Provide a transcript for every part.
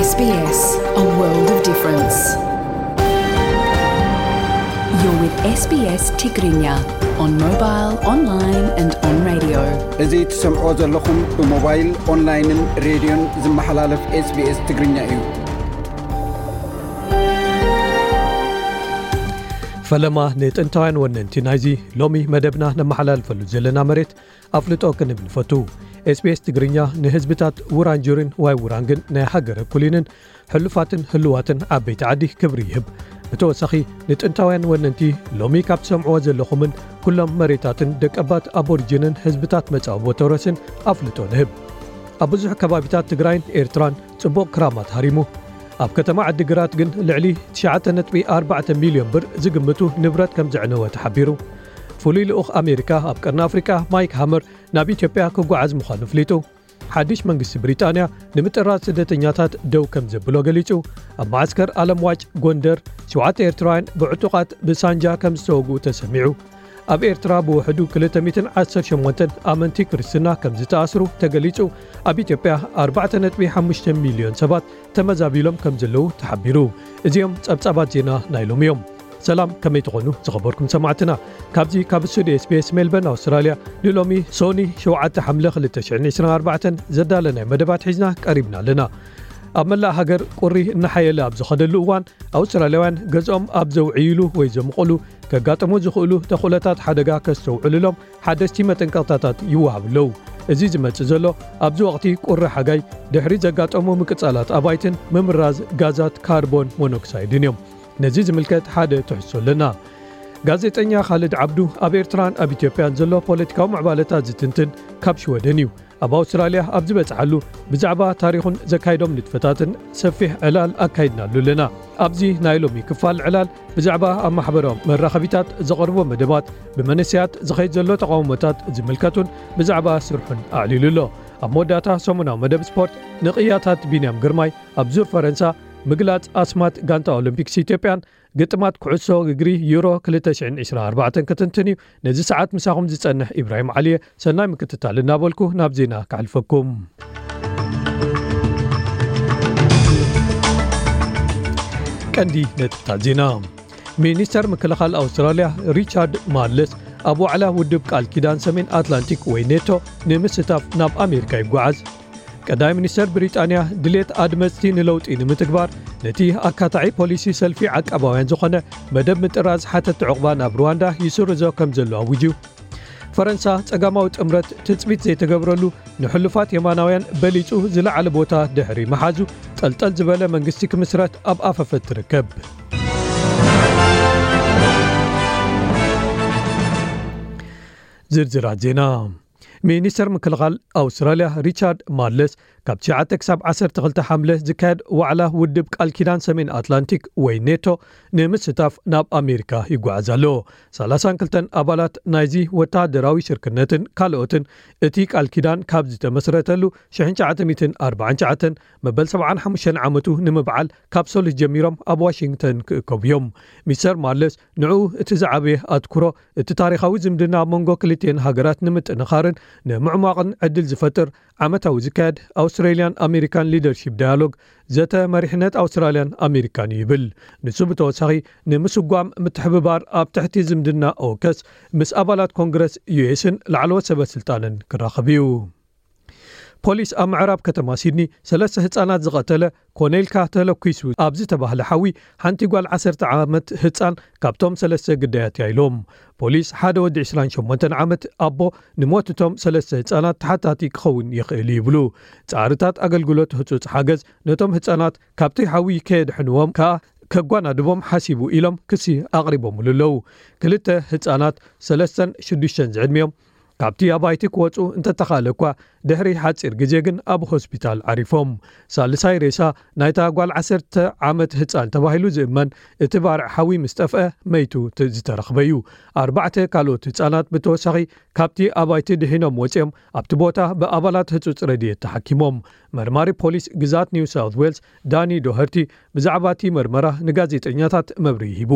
S B S, a world of difference. You're with S B S Tigrinya on mobile, online and on radio. እዚ ትሰምዖ ዘለኹም ብሞባይል፣ ኦንላይንን ሬድዮን ዝመሓላለፍ SBS ትግርኛ እዩ። ፈለማ ንጥንታውያን ወነንቲ ናይዚ ሎሚ መደብና ነመሓላልፈሉ ዘለና መሬት ኣፍልጦ ክንህብ ንፈቱ። SBS ትግርኛ ንህዝብታት ውራንጁሪን ዋይ ውራንግን ናይ ሃገረ ኩሊንን ሕሉፋትን ህልዋትን ዓበይቲ ዓዲ ክብሪ ይህብ። ብተወሳኺ ንጥንታውያን ወነንቲ ሎሚ ካብ ትሰምዕዎ ዘለኹምን ኩሎም መሬታትን ደቀባት ኣቦሪጂንን ህዝብታት መጻወቦ ተውረስን ኣፍልጦ ንህብ። ኣብ ብዙሕ ከባቢታት ትግራይን ኤርትራን ጽቡቕ ክራማት ሃሪሙ። ኣብ ከተማ ዓዲግራት ግን ልዕሊ ትሽዓተ ነጥቢ ኣርባዕተ ሚልዮን ብር ዝግምቱ ንብረት ከም ዘዕነወ ተሓቢሩ። ፍሉይ ልኡኽ ኣሜሪካ ኣብ ቀርኒ ኣፍሪቃ ማይክ ሃመር ናብ ኢትዮጵያ ክጓዓዝ ምዃኑ ኣፍሊጡ። ሓድሽ መንግስቲ ብሪጣንያ ንምጥራዝ ስደተኛታት ደው ከም ዘብሎ ገሊጹ። ኣብ መዓስከር ኣለምዋጭ ጎንደር ሸውዓተ ኤርትራውያን ብዕጡቓት ብሳንጃ ከም ዝተወግኡ ተሰሚዑ። ኣብ ኤርትራ ብውሕዱ ክልተ ሚእትን ዓሰርተ ሸሞንተን ኣመንቲ ክርስትና ከም ዝተኣስሩ ተገሊጹ። ኣብ ኢትዮጵያ ኣርባዕተ ነጥቢ ሓሙሽተ ሚልዮን ሰባት ተመዛቢሎም ከም ዘለዉ ተሓቢሩ። እዚኦም ጸብጻባት ዜና ናይ ሎሚ እዮም። ሰላም፣ ከመይ ትኾኑ ዝኸበርኩም ሰማዕትና? ካብዚ ካብ ስቱዲዮ SBS ሜልበርን ኣውስትራልያ ንሎሚ ሶኒ ሸውዓተ ሓምለ ክልተ ሽሕን ዕስራን ኣርባዕተን ዘዳለናይ መደባት ሒዝና ቀሪብና ኣለና። ኣብ መላእ ሃገር ቁሪ እናሓየለ ኣብ ዝኸደሉ እዋን ኣውስትራልያውያን ገዝኦም ኣብ ዘውዕይሉ ወይ ዘምቕሉ ከጋጥሙ ዝኽእሉ ተኽእሎታት ሓደጋ ከስተውዕሉሎም ሓደስቲ መጠንቀቕታታት ይወሃቡ ኣለዉ። እዚ ዝመጽእ ዘሎ ኣብዚ ወቕቲ ቁሪ ሓጋይ ድሕሪ ዘጋጠሙ ምቅጻላት ኣባይትን ምምራዝ ጋዛት ካርቦን ሞኖክሳይድን እዮም። ነዚ ዝምልከት ሓደ ትሕዝቶ ኣለና። ጋዜጠኛ ካልድ ዓብዱ ኣብ ኤርትራን ኣብ ኢትዮጵያን ዘሎ ፖለቲካዊ ምዕባለታት ዝትንትን ካብ ሽወደን እዩ። ኣብ ኣውስትራልያ ኣብ ዝበጽሓሉ ብዛዕባ ታሪኹን ዘካይዶም ንጥፈታትን ሰፊሕ ዕላል ኣካይድናሉ ኣለና። ኣብዚ ናይ ሎሚ ክፋል ዕላል ብዛዕባ ኣብ ማሕበራዊ መራኸቢታት ዘቐርቦ መደባት፣ ብመንእሰያት ዝኸይድ ዘሎ ተቓውሞታት ዝምልከቱን ብዛዕባ ስርሑን ኣዕሊሉ ኣሎ። ኣብ መወዳእታ ሰሙናዊ መደብ ስፖርት ንቕያታት ቢንያም ግርማይ ኣብ ዙር ፈረንሳ፣ ምግላጽ ኣስማት ጋንታ ኦሎምፒክስ ኢትዮጵያን ግጥማት ኩዕሶ እግሪ ዩሮ ክልተ ሽሕን ዕስራን ኣርባዕተን ክትንትን እዩ። ነዚ ሰዓት ምሳኹም ዝጸንሕ ኢብራሂም ዓሊየ፣ ሰናይ ምክትታል እናበልኩ ናብ ዜና ከሕልፈኩም። ቀንዲ ነጥብታት ዜና። ሚኒስተር ምክልኻል ኣውስትራልያ ሪቻርድ ማርለስ ኣብ ዋዕላ ውድብ ቃል ኪዳን ሰሜን ኣትላንቲክ ወይ ኔቶ ንምስታፍ ናብ ኣሜሪካ ይጓዓዝ። ቀዳማይ ሚኒስተር ብሪጣንያ ድሌት ኣድመጽቲ ንለውጢ ንምትግባር ነቲ ኣካታዒ ፖሊሲ ሰልፊ ዓቃባውያን ዝኾነ መደብ ምጥራዝ ሓተቲ ዕቑባ ናብ ሩዋንዳ ይስርዞ ከም ዘሎ ኣዊጁ። ፈረንሳ ጸጋማዊ ጥምረት ትጽቢት ዘይተገብረሉ ንሕሉፋት የማናውያን በሊጹ ዝለዓለ ቦታ ድሕሪ ምሓዙ ጠልጠል ዝበለ መንግስቲ ክምስረት ኣብ ኣፈፈት ትርከብ። ዝርዝራት ዜና። ሚኒስተር ምክልኻል ኣውስትራልያ ሪቻርድ ማርለስ ካብ ትሽዓተ ክሳብ ዓሰርተ ክልተ ሓምለ ዝካየድ ዋዕላ ውድብ ቃል ኪዳን ሰሜን ኣትላንቲክ ወይ ኔቶ ንምስታፍ ናብ ኣሜሪካ ይጓዓዝ ኣሎ። ሰላሳን ክልተን ኣባላት ናይዚ ወተሃደራዊ ሽርክነትን ካልኦትን እቲ ቃል ኪዳን ካብ ዝተመስረተሉ ሽሕን ትሽዓተ ሚእትን ኣርባዓን ትሽዓተን መበል ሰብዓን ሓሙሽተን ዓመቱ ንምብዓል ካብ ሶሉስ ጀሚሮም ኣብ ዋሽንግተን ክእከቡ እዮም። ሚስተር ማርለስ ንዕኡ እቲ ዝዓበየ ኣትኩሮ እቲ ታሪኻዊ ዝምድና ኣብ መንጎ ክልቲኤን ሃገራት ንምጥንኻርን ንምዕሟቕን ዕድል ዝፈጥር ዓመታዊ ዝካየድ ኣውስትራልያን ኣሜሪካን ሊደርሺፕ ዳያሎግ ዘተ መሪሕነት ኣውስትራልያን ኣሜሪካን እዩ ይብል። ንሱ ብተወሳኺ ንምስጓም ምትሕብባር ኣብ ትሕቲ ዝምድና ኦከስ ምስ ኣባላት ኮንግረስ ዩኤስን ላዕለዎት ሰበ ስልጣንን ክራኸብ እዩ። ፖሊስ ኣብ ምዕራብ ከተማ ሲድኒ ሰለስተ ህጻናት ዝቐተለ ኮነ ኢልካ ተለኲሱ ኣብ ዝተባህለ ሓዊ ሓንቲ ጓል ዓሰርተ ዓመት ህጻን ካብቶም ሰለስተ ግዳያት እያ ኢሎም። ፖሊስ ሓደ ወዲ ዕስራን ሸሞንተን ዓመት ኣቦ ንሞት እቶም ሰለስተ ህጻናት ተሓታቲ ክኸውን ይኽእል ይብሉ። ጻዕርታት ኣገልግሎት ህጹጽ ሓገዝ ነቶም ህጻናት ካብቲ ሓዊ ከየድሕንዎም ከኣ ከጓናድቦም ሓሲቡ ኢሎም ክሲ ኣቕሪቦምሉ ኣለዉ። ክልተ ህጻናት ሰለስተን ሽዱሽተን ዝዕድሚኦም ካብቲ ኣባይቲ ክወጹ እንተተኻእለ እኳ ድሕሪ ሓጺር ግዜ ግን ኣብ ሆስፒታል ዓሪፎም። ሳልሳይ ሬሳ ናይታ ጓል ዓሰርተ ዓመት ህጻን ተባሂሉ ዝእመን እቲ ባርዕ ሓዊ ምስ ጠፍአ መይቱ ት-፣ ዝተረኽበ እዩ። ኣርባዕተ ካልኦት ህጻናት ብተወሳኺ ካብቲ ኣባይቲ ድሒኖም ወጺኦም ኣብቲ ቦታ ብኣባላት ህጹጽ ረድኤት ተሓኪሞም። መርማሪ ፖሊስ ግዛት ኒው ሳውት ዌልስ ዳኒ ዶሀርቲ ብዛዕባ እቲ መርመራ ንጋዜጠኛታት መብርሂ ሂቡ።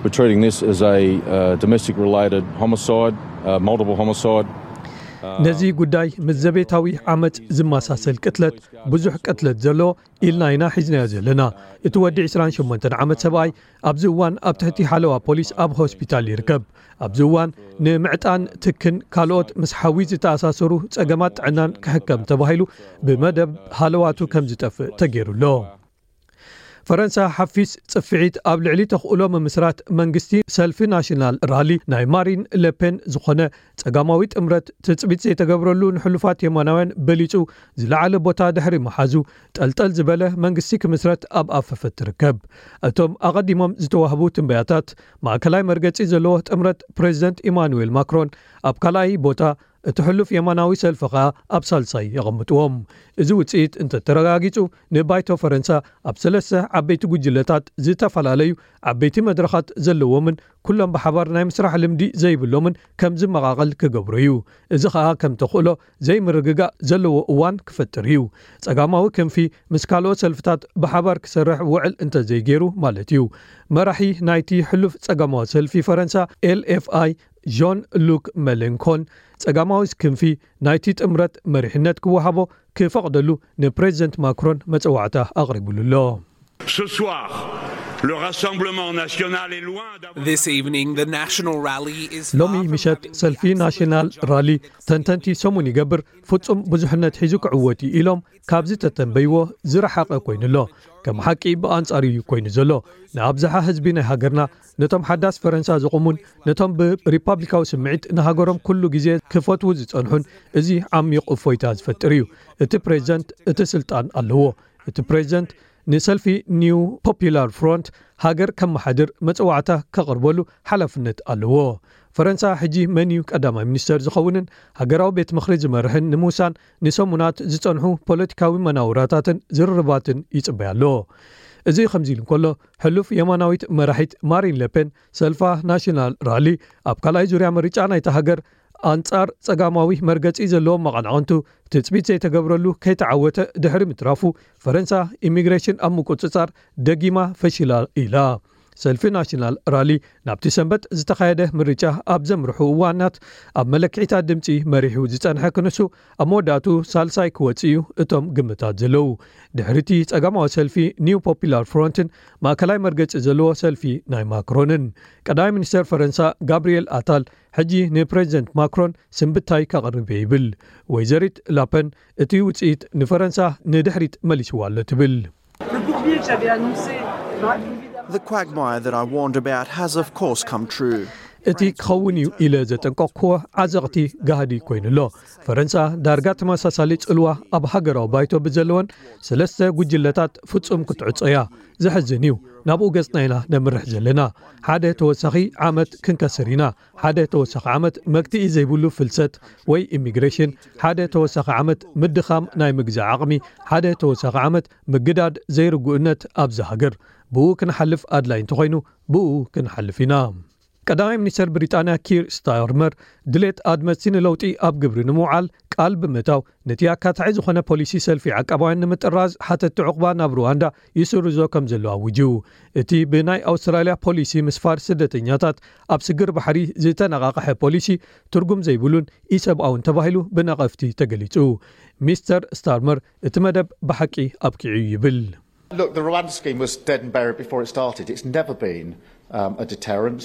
We're treating this as a, uh, domestic related homicide, uh, multiple homicide. ነዚ ጉዳይ ምስ ዘቤታዊ ዓመጽ ዝመሳሰል ቅትለት፣ ብዙሕ ቅትለት ዘሎ ኢልና ኢና ሒዝናዮ ዘለና። እቲ ወዲ ዕስራን ሸሞንተን ዓመት ሰብኣይ ኣብዚ እዋን ኣብ ትሕቲ ሓለዋ ፖሊስ ኣብ ሆስፒታል ይርከብ። ኣብዚ እዋን ንምዕጣን ትክን ካልኦት ምስ ሓዊ ዝተኣሳሰሩ ጸገማት ጥዕናን ክሕከም ተባሂሉ ብመደብ ሃለዋቱ ከም ዝጠፍእ ተገይሩ ኣሎ። ፈረንሳ ሓፊስ ጽፍዒት ኣብ ልዕሊ ተኽእሎ ምምስራት መንግስቲ ሰልፊ ናሽናል ራሊ ናይ ማሪን ለፔን ዝኾነ ጸጋማዊ ጥምረት ትጽቢት ዘይተገብረሉ ንሕሉፋት የማናውያን በሊጹ ዝለዓለ ቦታ ድሕሪ ምሓዙ፣ ጠልጠል ዝበለ መንግስቲ ክምስረት ኣብ ኣፈፈት ትርከብ። እቶም ኣቐዲሞም ዝተዋህቡ ትንበያታት፣ ማእከላይ መርገጺ ዘለዎ ጥምረት ፕሬዚደንት ኢማኑኤል ማክሮን ኣብ ካልኣይ ቦታ፣ እቲ ሕሉፍ የማናዊ ሰልፊ ኸኣ ኣብ ሳልሳይ የቐምጥዎም። እዚ ውጽኢት እንተተረጋጊጹ፣ ንባይቶ ፈረንሳ ኣብ ሰለስተ ዓበይቲ ጉጅለታት፣ ዝተፈላለዩ ዓበይቲ መድረኻት ዘለዎምን ኩሎም ብሓባር ናይ ምስራሕ ልምዲ ዘይብሎምን ከም ዝመቓቐል ክገብሮ እዩ። እዚ ኸኣ ከም ተኽእሎ ዘይምርግጋእ ዘለዎ እዋን ክፈጥር እዩ። ጸጋማዊ ክንፊ ምስ ካልኦት ሰልፍታት ብሓባር ክሰርሕ ውዕል እንተዘይገይሩ ማለት እዩ። መራሒ ናይቲ ሕሉፍ ጸጋማዊ ሰልፊ ፈረንሳ ኤል ኤፍ ኣይ ዦን ሉክ መሌንኮን፣ ጸጋማዊ ክንፊ ናይቲ ጥምረት መሪሕነት ክወሃቦ ክፈቕደሉ ንፕሬዚደንት ማክሮን መጸዋዕታ ኣቕሪቡሉ ኣሎ። Ce soir, le Rassemblement national est loin d'avoir This evening, the National Rally is ሎሚ far from ምሸት having ሰልፊ the ናሽናል ራሊ፣ ተንተንቲ ሰሙን ይገብር፣ ፍጹም ብዙሕነት ሒዙ ክዕወት እዩ ኢሎም ካብ ዝተተንበይዎ ዝረሓቐ ኮይኑ ኣሎ። ከም ሓቂ ብኣንጻሩ እዩ ኮይኑ ዘሎ። ንኣብዝሓ ህዝቢ ናይ ሃገርና፣ ነቶም ሓዳስ ፈረንሳ ዝቑሙን ነቶም ብሪፓብሊካዊ ስምዒት ንሃገሮም ኩሉ ግዜ ክፈትዉ ዝጸንሑን፣ እዚ ዓሚቕ እፎይታ ዝፈጥር እዩ። እቲ ፕሬዚደንት እቲ ስልጣን ኣለዎ። እቲ ፕሬዚደንት ንሰልፊ ኒው ፖፑላር ፍሮንት ሃገር ከመሓድር መጸዋዕታ ከቕርበሉ ሓላፍነት ኣለዎ። ፈረንሳ ሕጂ መን እዩ ቀዳማይ ሚኒስተር ዝኸውንን ሃገራዊ ቤት ምኽሪ ዝመርሕን ንምውሳን ንሰሙናት ዝጸንሑ ፖለቲካዊ መናውራታትን ዝርርባትን ይጽበያ ኣሎ። እዚ ከምዚ ኢሉ እንከሎ፣ ሕሉፍ የማናዊት መራሒት ማሪን ለፔን ሰልፋ ናሽናል ራሊ ኣብ ካልኣይ ዙርያ ምርጫ ናይታ ሃገር ኣንጻር ጸጋማዊ መርገጺ ዘለዎም መቐናቕንቱ ትጽቢት ዘይተገብረሉ ከይተዓወተ ድሕሪ ምትራፉ፣ ፈረንሳ ኢሚግሬሽን ኣብ ምቁጽጻር ደጊማ ፈሺላ ኢላ። ሰልፊ ናሽናል ራሊ ናብቲ ሰንበት ዝተኻየደ ምርጫ ኣብ ዘምርሑ እዋናት ኣብ መለክዒታት ድምጺ መሪሑ ዝጸንሐ ክንሱ ኣብ መወዳእቱ ሳልሳይ ክወጽእ እዩ እቶም ግምታት ዘለዉ። ድሕሪቲ ጸጋማዊ ሰልፊ ኒው ፖፑላር ፍሮንትን ማእከላይ መርገጺ ዘለዎ ሰልፊ ናይ ማክሮንን። ቀዳማይ ሚኒስተር ፈረንሳ ጋብርኤል ኣታል ሕጂ ንፕሬዚደንት ማክሮን ስንብታይ ከቕርብ እየ ይብል። ወይዘሪት ላፐን እቲ ውጽኢት ንፈረንሳ ንድሕሪት መሊስዋ ኣሎ ትብል። The quagmire that I warned about has, of course, come true. እቲ ክኸውን እዩ ኢለ ዘጠንቀቕክዎ ዓዘቕቲ ጋህዲ ኮይኑ ኣሎ። ፈረንሳ ዳርጋ ተመሳሳሊ ጽልዋ ኣብ ሃገራዊ ባይቶ ብዘለወን ሰለስተ ጉጅለታት ፍጹም ክትዕጾ እያ። ዘሕዝን እዩ። ናብኡ ገጽና ኢና ነምርሕ ዘለና። ሓደ ተወሳኺ ዓመት ክንከስር ኢና። ሓደ ተወሳኺ ዓመት መግትኢ ዘይብሉ ፍልሰት ወይ ኢሚግሬሽን፣ ሓደ ተወሳኺ ዓመት ምድኻም ናይ ምግዛእ ዓቕሚ፣ ሓደ ተወሳኺ ዓመት ምግዳድ ዘይርጉእነት ኣብዚ ሃገር። ብኡ ክንሓልፍ ኣድላይ እንተኾይኑ ብኡ ክንሓልፍ ኢና። ቀዳማይ ሚኒስተር ብሪጣንያ ኪር ስታርመር ድሌት ኣድመፅቲ ንለውጢ ኣብ ግብሪ ንምውዓል ቃል ብምእታው፣ ነቲ ኣካታዒ ዝኾነ ፖሊሲ ሰልፊ ዓቃባውያን ንምጥራዝ ሓተቲ ዑቕባ ናብ ሩዋንዳ ይስርዞ ከም ዘሎ ኣውጁ። እቲ ብናይ ኣውስትራልያ ፖሊሲ ምስፋር ስደተኛታት ኣብ ስግር ባሕሪ ዝተነቓቕሐ ፖሊሲ ትርጉም ዘይብሉን ኢሰብኣውን ተባሂሉ ብነቐፍቲ ተገሊጹ። ሚስተር ስታርመር እቲ መደብ ብሓቂ ኣብቂዑ ይብል። Look, the Rwanda scheme was dead and buried before it started. It's never been um, a deterrent.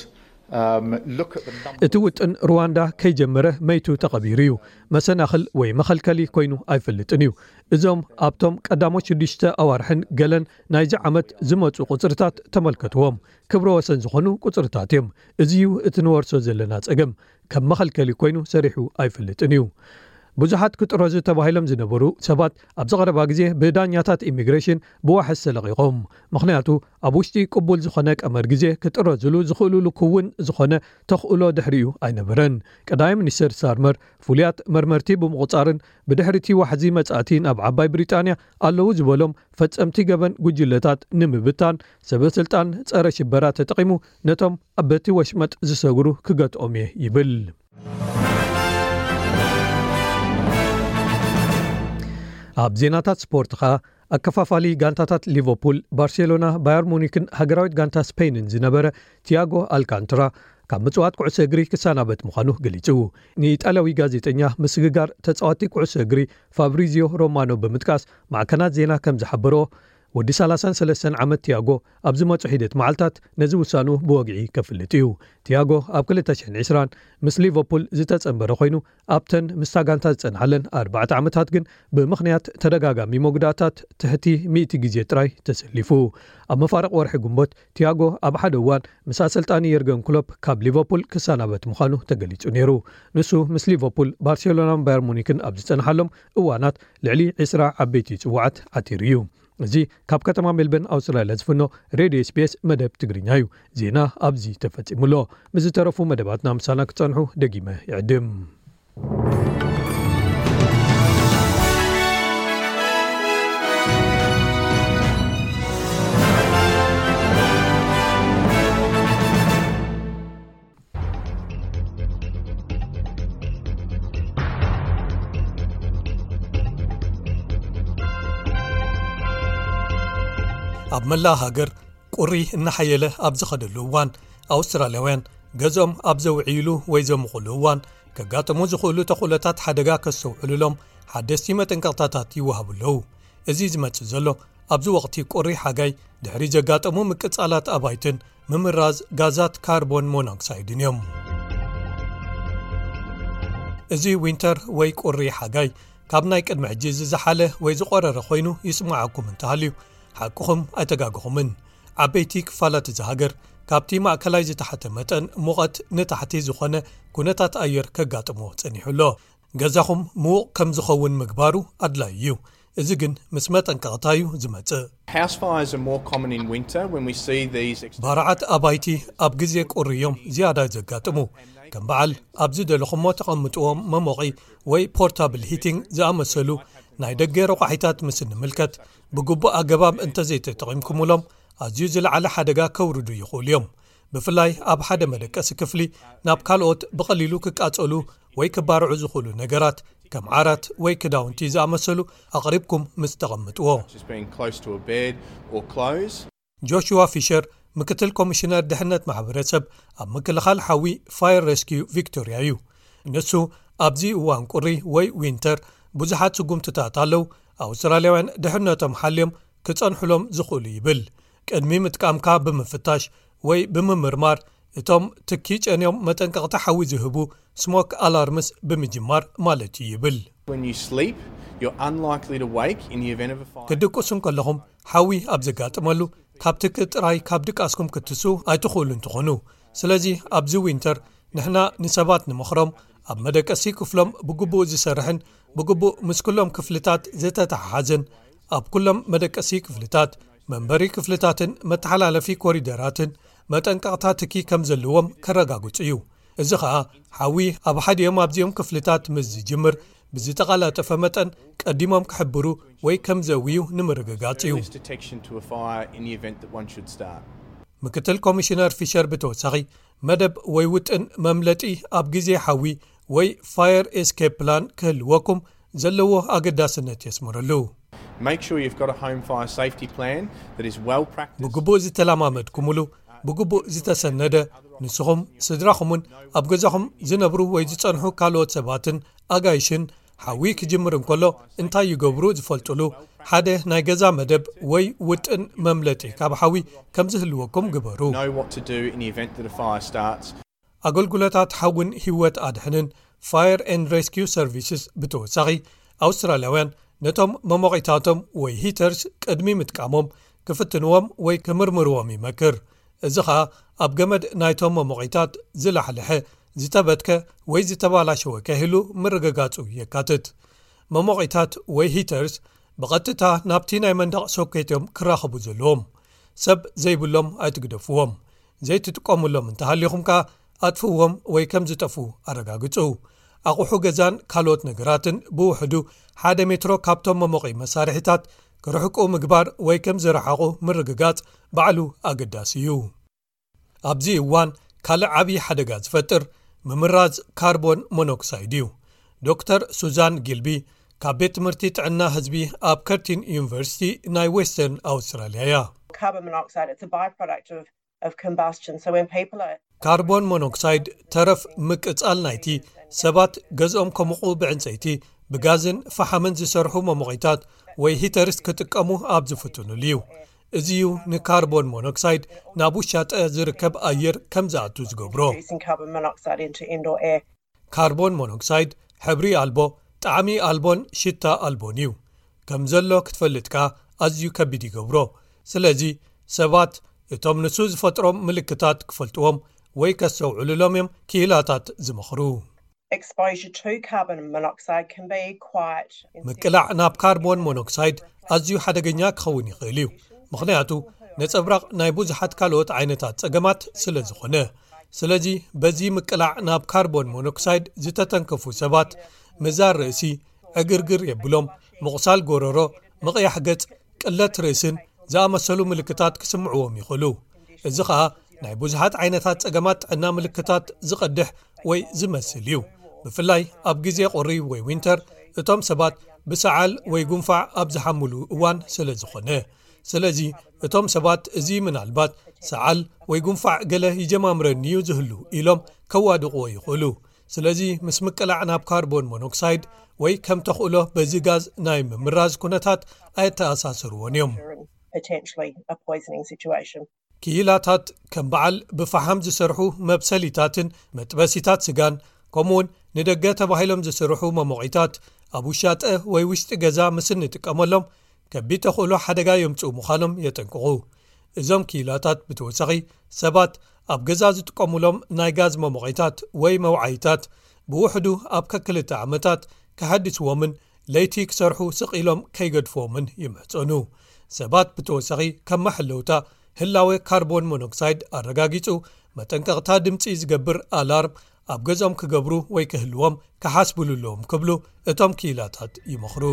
Um, look at the number. እቲ ውጥን ሩዋንዳ ከይጀመረ መይቱ ተቐቢሩ እዩ። መሰናኽል ወይ መኸልከሊ ኮይኑ ኣይፈልጥን እዩ። እዞም ኣብቶም ቀዳሞት ሽዱሽተ ኣዋርሕን ገለን ናይዚ ዓመት ዝመፁ ቁፅርታት ተመልከትዎም። ክብረ ወሰን ዝኾኑ ቁፅርታት እዮም። እዚ እዩ እቲ ንወርሶ ዘለና ፀገም። ከም መኸልከሊ ኮይኑ ሰሪሑ ኣይፈልጥን እዩ። ብዙሓት ክጥረዙ ተባሂሎም ዝነበሩ ሰባት ኣብዚ ቀረባ ግዜ ብዳኛታት ኢሚግሬሽን ብዋሕስ ተለቒቖም። ምኽንያቱ ኣብ ውሽጢ ቅቡል ዝኾነ ቀመር ግዜ ክጥረዙሉ ዝኽእሉሉ ክውን ዝኾነ ተኽእሎ ድሕሪኡ ኣይነበረን። ቀዳማይ ሚኒስተር ስታርመር ፍሉያት መርመርቲ ብምቑጻርን ብድሕሪቲ ዋሕዚ መጻእቲ ናብ ዓባይ ብሪጣንያ ኣለዉ ዝበሎም ፈጸምቲ ገበን ጉጅለታት ንምብታን ሰበ ስልጣን ጸረ ሽበራ ተጠቒሙ ነቶም በቲ ወሽመጥ ዝሰግሩ ክገትኦም እየ ይብል። ኣብ ዜናታት ስፖርት ኸኣ ኣከፋፋሊ ጋንታታት ሊቨርፑል፣ ባርሴሎና፣ ባየር ሙኒክን ሃገራዊት ጋንታ ስፔንን ዝነበረ ቲያጎ ኣልካንትራ ካብ ምጽዋት ኩዕሶ እግሪ ክሰናበት ምዃኑ ገሊጹ። ንኢጣልያዊ ጋዜጠኛ ምስግጋር ተጻዋቲ ኩዕሶ እግሪ ፋብሪዚዮ ሮማኖ ብምጥቃስ፣ ማዕከናት ዜና ከም ዝሓበሮ፣ ወዲ ሰላሳን ሰለስተን ዓመት ቲያጎ ኣብ ዝመጹ ሒደት መዓልታት ነዚ ውሳኑ ብወግዒ ከፍልጥ እዩ። ቲያጎ ኣብ ክልተ ሽሕን ዕስራን ምስ ሊቨርፑል ዝተጸንበረ ኮይኑ፣ ኣብተን ምስታ ጋንታ ዝጸንሓለን ኣርባዕተ ዓመታት ግን ብምኽንያት ተደጋጋሚ መጉዳእታት ትሕቲ ሚእቲ ግዜ ጥራይ ተሰሊፉ። ኣብ መፋርቕ ወርሒ ግንቦት ቲያጎ ኣብ ሓደ እዋን ምስ ኣሰልጣኒ የርገን ክሎፕ ካብ ሊቨርፑል ክሰናበት ምዃኑ ተገሊጹ ነይሩ። ንሱ ምስ ሊቨርፑል፣ ባርሴሎናን ባየር ሙኒክን ኣብ ዝጸንሓሎም እዋናት ልዕሊ ዕስራ ዓበይቲ ጽዋዓት ዓቲሩ እዩ። እዚ ካብ ከተማ ሜልበርን ኣውስትራልያ ዝፍኖ ሬድዮ ኤስቢኤስ መደብ ትግርኛ እዩ። ዜና ኣብዚ ተፈጺሙ ኣሎ። ምስ ዝተረፉ መደባትና ምሳና ክጸንሑ ደጊመ ይዕድም። ኣብ መላእ ሃገር ቁሪ እናሓየለ ኣብ ዝኸደሉ እዋን፣ ኣውስትራልያውያን ገዝኦም ኣብ ዘውዕይሉ ወይ ዘምቑሉ እዋን ከጋጥሙ ዝኽእሉ ተኽእሎታት ሓደጋ ከስተውዕሉሎም ሓደስቲ መጠንቀቕታታት ይወሃቡ ኣለዉ። እዚ ዝመጽእ ዘሎ ኣብዚ ወቕቲ ቁሪ ሓጋይ ድሕሪ ዘጋጠሙ ምቅጻላት ኣባይትን ምምራዝ ጋዛት ካርቦን ሞኖክሳይድን እዮም። እዚ ዊንተር ወይ ቁሪ ሓጋይ ካብ ናይ ቅድሚ ሕጂ ዝዘሓለ ወይ ዝቆረረ ኮይኑ ይስምዓኩም እንተሃልዩ፣ ሓቅኹም ኣይተጋግኹምን። ዓበይቲ ክፋላት እዚ ሃገር ካብቲ ማእከላይ ዝተሓተ መጠን ሙቐት ንታሕቲ ዝኾነ ኩነታት ኣየር ከጋጥሞ ጸኒሑ ኣሎ። ገዛኹም ምዉቕ ከም ዝኸውን ምግባሩ ኣድላዪ እዩ። እዚ ግን ምስ መጠንቀቕታ እዩ ዝመጽእ። House fires are more common in winter when we see these ex- ባርዓት ኣባይቲ ኣብ ግዜ ቁሪ እዮም ዝያዳ ዘጋጥሙ። ከም በዓል ኣብ ዝደለኹሞ ተቐምጥዎም መሞቒ ወይ ፖርታብል ሂቲንግ ዝኣመሰሉ ናይ ደገ ረቋሒታት ምስ እንምልከት፣ ብግቡእ ኣገባብ እንተዘይተጠቒምኩምሎም ኣዝዩ ዝለዓለ ሓደጋ ከውርዱ ይኽእሉ እዮም። ብፍላይ ኣብ ሓደ መደቀሲ ክፍሊ ናብ ካልኦት ብቐሊሉ ክቃጸሉ ወይ ክባርዑ ዝኽእሉ ነገራት ከም ዓራት ወይ ክዳውንቲ ዝኣመሰሉ ኣቕሪብኩም ምስ ተቐምጥዎ። Just being close to a bed or clothes. ጆሽዋ ፊሸር ምክትል ኮሚሽነር ድሕነት ማሕበረሰብ ኣብ ምክልኻል ሓዊ ፋየር ሬስኪዩ ቪክቶሪያ እዩ። ንሱ ኣብዚ እዋን ቁሪ ወይ ዊንተር ብዙሓት ስጉምትታት ኣለዉ ኣውስትራልያውያን ድሕነቶም ሓልዮም ክጸንሑሎም ዝኽእሉ ይብል። ቅድሚ ምጥቃምካ ብምፍታሽ ወይ ብምምርማር እቶም ትኪ ጨንዮም መጠንቀቕታ ሓዊ ዝህቡ ስሞክ ኣላርምስ ብምጅማር ማለት እዩ ይብል። When you sleep, you're unlikely to wake in the event of a fire. ክትድቅሱ እንከለኹም ሓዊ ኣብ ዘጋጥመሉ ካብ ትኪ ጥራይ ካብ ድቃስኩም ክትስኡ ኣይትኽእሉን ትኾኑ። ስለዚ ኣብዚ ዊንተር ንሕና ንሰባት ንመኽሮም ኣብ መደቀሲ ክፍሎም ብግቡእ ዝሰርሕን ብግቡእ ምስ ኩሎም ክፍልታት ዝተተሓሓዘን ኣብ ኩሎም መደቀሲ ክፍልታት መንበሪ ክፍልታትን መተሓላለፊ ኮሪደራትን መጠንቀቕታ ትኪ ከም ዘለዎም ከረጋግጹ እዩ። እዚ ኸኣ ሓዊ ኣብ ሓዲኦም ኣብዚኦም ክፍልታት ምስ ዝጅምር ብዝተቐላጠፈ መጠን ቀዲሞም ክሕብሩ ወይ ከም ዘውዩ ንምርግጋጽ እዩ። Detection to a fire in the event that one should start. ምክትል ኮሚሽነር ፊሸር ብተወሳኺ መደብ ወይ ውጥን መምለጢ ኣብ ግዜ ሓዊ ወይ ፋየር ኤስኬፕ ፕላን ክህልወኩም ዘለዎ ኣገዳስነት የስምረሉ። Make sure you've got a home fire safety plan that is well practiced. ብግቡእ ዝተለማመድኩምሉ ብግቡእ ዝተሰነደ ንስኹም ስድራኹምን ኣብ ገዛኹም ዝነብሩ ወይ ዝጸንሑ ካልኦት ሰባትን ኣጋይሽን ሓዊ ክጅምር እንከሎ እንታይ ይገብሩ ዝፈልጡሉ ሓደ ናይ ገዛ መደብ ወይ ውጥን መምለጢ ካብ ሓዊ ከም ዝህልወኩም ግበሩ። Know what to do in the event that a fire starts. ኣገልግሎታት ሓውን ህይወት ኣድሕንን ፋየር ኤንድ ሬስኪዩ ሰርቪስስ ብተወሳኺ ኣውስትራልያውያን ነቶም መሞቒታቶም ወይ ሂተርስ ቅድሚ ምጥቃሞም ክፍትንዎም ወይ ክምርምርዎም ይመክር። እዚ ኸኣ ኣብ ገመድ ናይቶም መሞቒታት ዝላሕልሐ ዝተበትከ ወይ ዝተባላሸወ ከይህሉ ምርግጋጹ የካትት። መሞቒታት ወይ ሂተርስ ብቐጥታ ናብቲ ናይ መንደቕ ሶኬት እዮም ክራኸቡ ዘለዎም። ሰብ ዘይብሎም ኣይትግደፍዎም። ዘይትጥቀሙሎም እንተሃሊኹም ከኣ ኣጥፍዎም ወይ ከም ዝጠፉ ኣረጋግጹ። ኣቑሑ ገዛን ካልኦት ነገራትን ብውሕዱ ሓደ ሜትሮ ካብቶም መሞቒ መሳርሒታት ክርሕቁ ምግባር ወይ ከም ዝረሓቑ ምርግጋጽ ባዕሉ ኣገዳሲ እዩ። ኣብዚ እዋን ካልእ ዓብዪ ሓደጋ ዝፈጥር ምምራዝ ካርቦን ሞኖክሳይድ እዩ። ዶክተር ሱዛን ጊልቢ ካብ ቤት ትምህርቲ ጥዕና ህዝቢ ኣብ ከርቲን ዩኒቨርሲቲ ናይ ዌስተርን ኣውስትራልያ እያ። Carbon monoxide, it's a byproduct of, of combustion. So when people are ካርቦን ሞኖክሳይድ ተረፍ ምቅጻል ናይቲ ሰባት ገዝኦም ከሙቑ ብዕንጸይቲ፣ ብጋዝን ፈሓምን ዝሰርሑ መሞቒታት ወይ ሂተርስ ክጥቀሙ ኣብ ዝፍትኑሉ እዩ። እዚ እዩ ንካርቦን ሞኖክሳይድ ናብ ውሻጠ ዝርከብ ኣየር ከም ዝኣቱ ዝገብሮ። Introducing carbon monoxide into indoor air. ካርቦን ሞኖክሳይድ ሕብሪ ኣልቦ፣ ጣዕሚ ኣልቦን ሽታ ኣልቦን እዩ። ከም ዘሎ ክትፈልጥ ከኣ ኣዝዩ ከቢድ ይገብሮ። ስለዚ ሰባት እቶም ንሱ ዝፈጥሮም ምልክታት ክፈልጥዎም ወይ ከስተውዕሉሎም እዮም ክኢላታት ዝመኽሩ። Exposure to carbon monoxide can be quite ምቅላዕ ናብ ካርቦን ሞኖክሳይድ ኣዝዩ ሓደገኛ ክኸውን ይኽእል እዩ፣ ምኽንያቱ ነጸብራቕ ናይ ብዙሓት ካልኦት ዓይነታት ጸገማት ስለ ዝኾነ። ስለዚ በዚ ምቅላዕ ናብ ካርቦን ሞኖክሳይድ ዝተተንከፉ ሰባት ምዛር ርእሲ፣ ዕግርግር የብሎም፣ ምቑሳል ጎረሮ፣ ምቕያሕ ገጽ፣ ቅለት ርእስን ዝኣመሰሉ ምልክታት ክስምዕዎም ይኽእሉ። እዚ ኸኣ ናይ ብዙሓት ዓይነታት ጸገማት ጥዕና ምልክታት ዝቐድሕ ወይ ዝመስል እዩ። ብፍላይ ኣብ ግዜ ቁሪ ወይ ዊንተር እቶም ሰባት ብሰዓል ወይ ጉንፋዕ ኣብ ዝሓምሉ እዋን ስለ ዝኾነ። ስለዚ እቶም ሰባት እዚ ምናልባት ሰዓል ወይ ጉንፋዕ ገለ ይጀማምረኒ እዩ ዝህሉ ኢሎም ከዋድቕዎ ይኽእሉ። ስለዚ ምስ ምቅላዕ ናብ ካርቦን ሞኖክሳይድ ወይ ከም ተኽእሎ በዚ ጋዝ ናይ ምምራዝ ኩነታት ኣየተኣሳስርዎን እዮም። Potentially a poisoning situation. ክኢላታት ከም በዓል ብፈሓም ዝሰርሑ መብሰሊታትን መጥበሲታት ስጋን፣ ከምኡውን ንደገ ተባሂሎም ዝስርሑ መሞቒታት ኣብ ውሻጠ ወይ ውሽጢ ገዛ ምስ እንጥቀመሎም ከቢድ ተኽእሎ ሓደጋ የምጽኡ ምዃኖም የጠንቅቑ። እዞም ክኢላታት ብተወሳኺ ሰባት ኣብ ገዛ ዝጥቀሙሎም ናይ ጋዝ መሞቒታት ወይ መውዓይታት ብውሕዱ ኣብ ከክልተ ዓመታት ክሓድስዎምን ለይቲ ክሰርሑ ስቕ ኢሎም ከይገድፍዎምን ይምሕጸኑ። ሰባት ብተወሳኺ ከም መሐለውታ ህላወ ካርቦን ሞኖክሳይድ ኣረጋጊጹ መጠንቀቕታ ድምጺ ዝገብር ኣላርም ኣብ ገዝኦም ክገብሩ ወይ ክህልዎም ክሓስብሉ ኣለዎም ክብሉ እቶም ክኢላታት ይመኽሩ።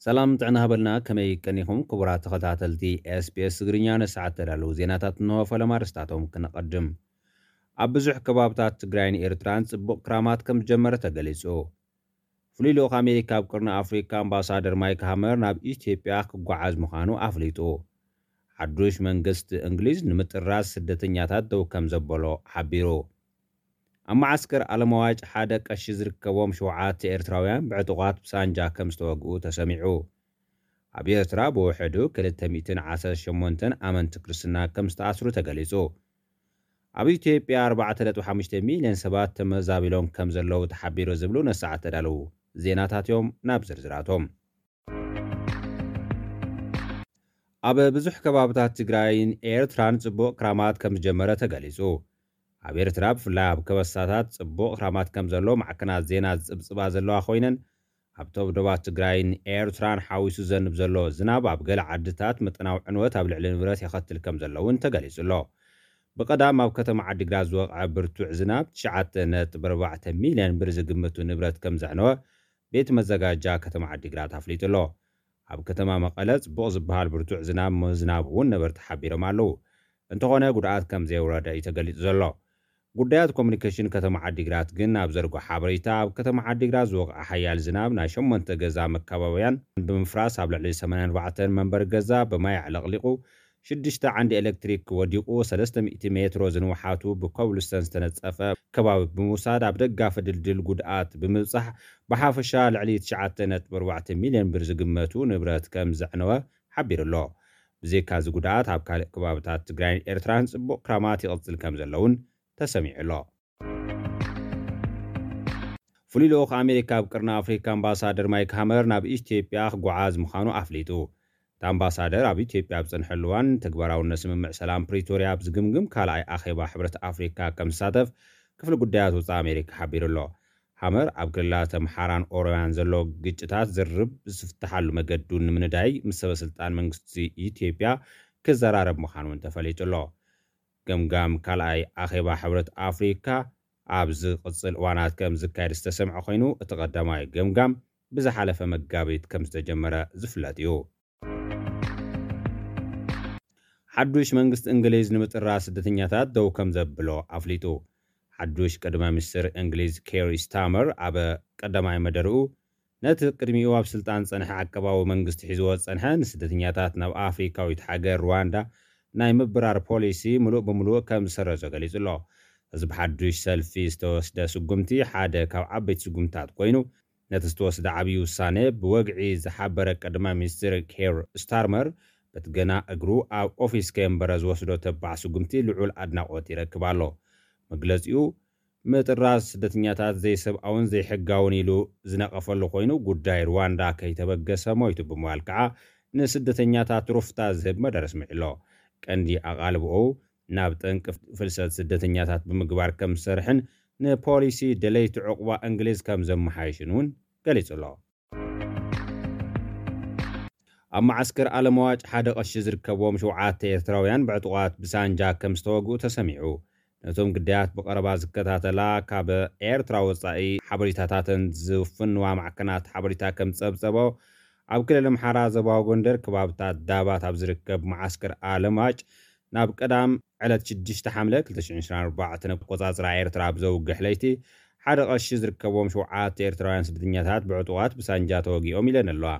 ሰላም ጥዕና ሃበልና፣ ከመይ ቀኒኹም ክቡራት ተኸታተልቲ ኤስቢኤስ ትግርኛ? ንሰዓት ተዳለዉ ዜናታት እንሆ። ፈለማ ኣርእስታቶም ክነቐድም። ኣብ ብዙሕ ከባብታት ትግራይን ኤርትራን ጽቡቕ ክራማት ከም ዝጀመረ ተገሊጹ። ፍሉይ ልኡኽ ኣሜሪካ ኣብ ቅርኒ ኣፍሪካ ኣምባሳደር ማይክ ሃመር ናብ ኢትዮጵያ ክጓዓዝ ምዃኑ ኣፍሊጡ። ሓዱሽ መንግስቲ እንግሊዝ ንምጥራዝ ስደተኛታት ደው ከም ዘበሎ ሓቢሩ። ኣብ መዓስከር ኣለማዋጭ ሓደ ቀሺ ዝርከቦም ሸውዓተ ኤርትራውያን ብዕጡቓት ብሳንጃ ከም ዝተወግኡ ተሰሚዑ። ኣብ ኤርትራ ብውሕዱ ክልተ ሚእትን ዓሰርተ ሸሞንተን ኣመንቲ ክርስትና ከም ዝተኣስሩ ተገሊጹ። ኣብ ኢትዮጵያ ኣርባዕተ ነጥቢ ሓሙሽተ ሚልዮን ሰባት ተመዛቢሎም ከም ዘለዉ ተሓቢሩ ዝብሉ ነሰዓት ተዳለዉ ዜናታት እዮም። ናብ ዝርዝራቶም። ኣብ ብዙሕ ከባብታት ትግራይን ኤርትራን ጽቡቕ ክራማት ከም ዝጀመረ ተገሊጹ። ኣብ ኤርትራ ብፍላይ ኣብ ከበሳታት ጽቡቕ ክራማት ከም ዘሎ ማዕከናት ዜና ዝጽብጽባ ዘለዋ ኮይነን፣ ኣብ ተብዶባት ትግራይን ኤርትራን ሓዊሱ ዘንብ ዘሎ ዝናብ ኣብ ገለ ዓድታት መጠናዊ ዕንወት ኣብ ልዕሊ ንብረት የኸትል ከም ዘሎ እውን ተገሊጹ ኣሎ። ብቐዳም ኣብ ከተማ ዓዲግራት ዝወቕዐ ብርቱዕ ዝናብ ትሽዓተ ነጥቢ ኣርባዕተ ሚልዮን ብር ዝግምቱ ንብረት ከም ዘዕነወ ቤት መዘጋጃ ከተማ ዓዲግራት ኣፍሊጡ ኣሎ። ኣብ ከተማ መቐለ ጽቡቕ ዝበሃል ብርቱዕ ዝናብ ምዝናቡ እውን ነበርቲ ሓቢሮም ኣለዉ። እንተኾነ ጉድኣት ከም ዘየውረደ እዩ ተገሊጹ ዘሎ። ጉዳያት ኮሙኒኬሽን ከተማ ዓዲግራት ግን ኣብ ዘርጎ ሓበሬታ ኣብ ከተማ ዓዲግራት ዝወቕዐ ሓያል ዝናብ ናይ ሸሞንተ ገዛ መካባብያን ብምፍራስ ኣብ ልዕሊ ሰማንያን ኣርባዕተን መንበሪ ገዛ ብማይ ኣዕለቕሊቑ ሽዱሽተ ዓንዲ ኤሌክትሪክ ወዲቑ ሰለስተ ሚእቲ ሜትሮ ዝንውሓቱ ብኮብልስተን ዝተነጸፈ ከባቢ ብምውሳድ ኣብ ደጋፊ ድልድል ጉድኣት ብምብጻሕ ብሓፈሻ ልዕሊ ትሽዓተ ነጥቢ ኣርባዕተ ሚልዮን ብር ዝግመቱ ንብረት ከም ዘዕነወ ሓቢሩ ኣሎ። ብዘይካ እዚ ጉድኣት ኣብ ካልእ ከባብታት ትግራይን ኤርትራን ጽቡቕ ክራማት ይቕጽል ከም ዘለውን ተሰሚዑ ኣሎ። ፍሉይ ልኡኽ ኣሜሪካ ኣብ ቅርኒ ኣፍሪካ ኣምባሳደር ማይክ ሃመር ናብ ኢትዮጵያ ክጓዓዝ ምዃኑ ኣፍሊጡ። እቲ ኣምባሳደር ኣብ ኢትዮጵያ ኣብ ዝጸንሐሉ እዋን ተግባራውነት ስምምዕ ሰላም ፕሪቶርያ ኣብ ዝግምግም ካልኣይ ኣኼባ ሕብረት ኣፍሪካ ከም ዝሳተፍ ክፍሊ ጉዳያት ወጻኢ ኣሜሪካ ሓቢሩ ኣሎ። ሃመር ኣብ ክልላት ኣምሓራን ኦሮምያን ዘሎ ግጭታት ዝርርብ ዝፍትሓሉ መገዱ ንምንዳይ ምስ ሰበ ስልጣን መንግስቲ ኢትዮጵያ ክዘራረብ ምዃኑ እውን ተፈሊጡ ኣሎ። ገምጋም ካልኣይ ኣኼባ ሕብረት ኣፍሪካ ኣብ ዝቕጽል እዋናት ከም ዝካየድ ዝተሰምዐ ኮይኑ፣ እቲ ቀዳማይ ገምጋም ብዝሓለፈ መጋቢት ከም ዝተጀመረ ዝፍለጥ እዩ። ሓዱሽ መንግስቲ እንግሊዝ ንምጥራዝ ስደተኛታት ደው ከም ዘብሎ ኣፍሊጡ። ሓዱሽ ቀዳማይ ሚኒስትር እንግሊዝ ኬር ስታመር ኣብ ቀዳማይ መደርኡ ነቲ ቅድሚኡ ኣብ ስልጣን ዝጸንሐ ዓቀባዊ መንግስቲ ሒዝዎ ዝጸንሐ ንስደተኛታት ናብ ኣፍሪካዊት ሃገር ሩዋንዳ ናይ ምብራር ፖሊሲ ምሉእ ብምሉእ ከም ዝሰረዞ ገሊጹ ኣሎ። እዚ ብሓዱሽ ሰልፊ ዝተወስደ ስጉምቲ ሓደ ካብ ዓበይቲ ስጉምትታት ኮይኑ፣ ነቲ ዝተወስደ ዓብዪ ውሳነ ብወግዒ ዝሓበረ ቀዳማይ ሚኒስትር ኬር ስታርመር፣ በቲ ገና እግሩ ኣብ ኦፊስ ከየንበረ ዝወስዶ ተባዕ ስጉምቲ ልዑል ኣድናቖት ይረክብ ኣሎ። መግለጺኡ፣ ምጥራዝ ስደተኛታት ዘይሰብኣውን ዘይሕጋውን ኢሉ ዝነቐፈሉ ኮይኑ፣ ጉዳይ ሩዋንዳ ከይተበገሰ ሞይቱ ብምባል ከዓ ንስደተኛታት ሩፍታ ዝህብ መደረ ኣስሚዑ ኣሎ። ቀንዲ ኣቓልቦኡ ናብ ጠንቂ ፍልሰት ስደተኛታት ብምግባር ከም ዝሰርሕን ንፖሊሲ ደለይቲ ዕቑባ እንግሊዝ ከም ዘመሓየሽን እውን ገሊጹ ኣሎ። ኣብ መዓስከር ኣለምዋጭ ሓደ ቀሺ ዝርከብዎም ሸውዓተ ኤርትራውያን ብዕጡቓት ብሳንጃ ከም ዝተወግኡ ተሰሚዑ። ነቶም ግዳያት ብቐረባ ዝከታተላ፣ ካብ ኤርትራ ወጻኢ ሓበሬታታተን ዝፍንዋ ማዕከናት ሓበሬታ ከም ዝጸብጸቦ፣ ኣብ ክልል ኣምሓራ ዞባዊ ጎንደር ከባብታት ዳባት ኣብ ዝርከብ መዓስከር ኣለምዋጭ ናብ ቀዳም ዕለት ሽዱሽተ ሓምለ ክልተ ሽሕን ዕስራን ኣርባዕተን ኣቆጻጽራ ኤርትራ ብዘውግሕ ለይቲ ሓደ ቀሺ ዝርከብዎም ሸውዓተ ኤርትራውያን ስደተኛታት ብዕጡቓት ብሳንጃ ተወጊኦም ኢለን ኣለዋ።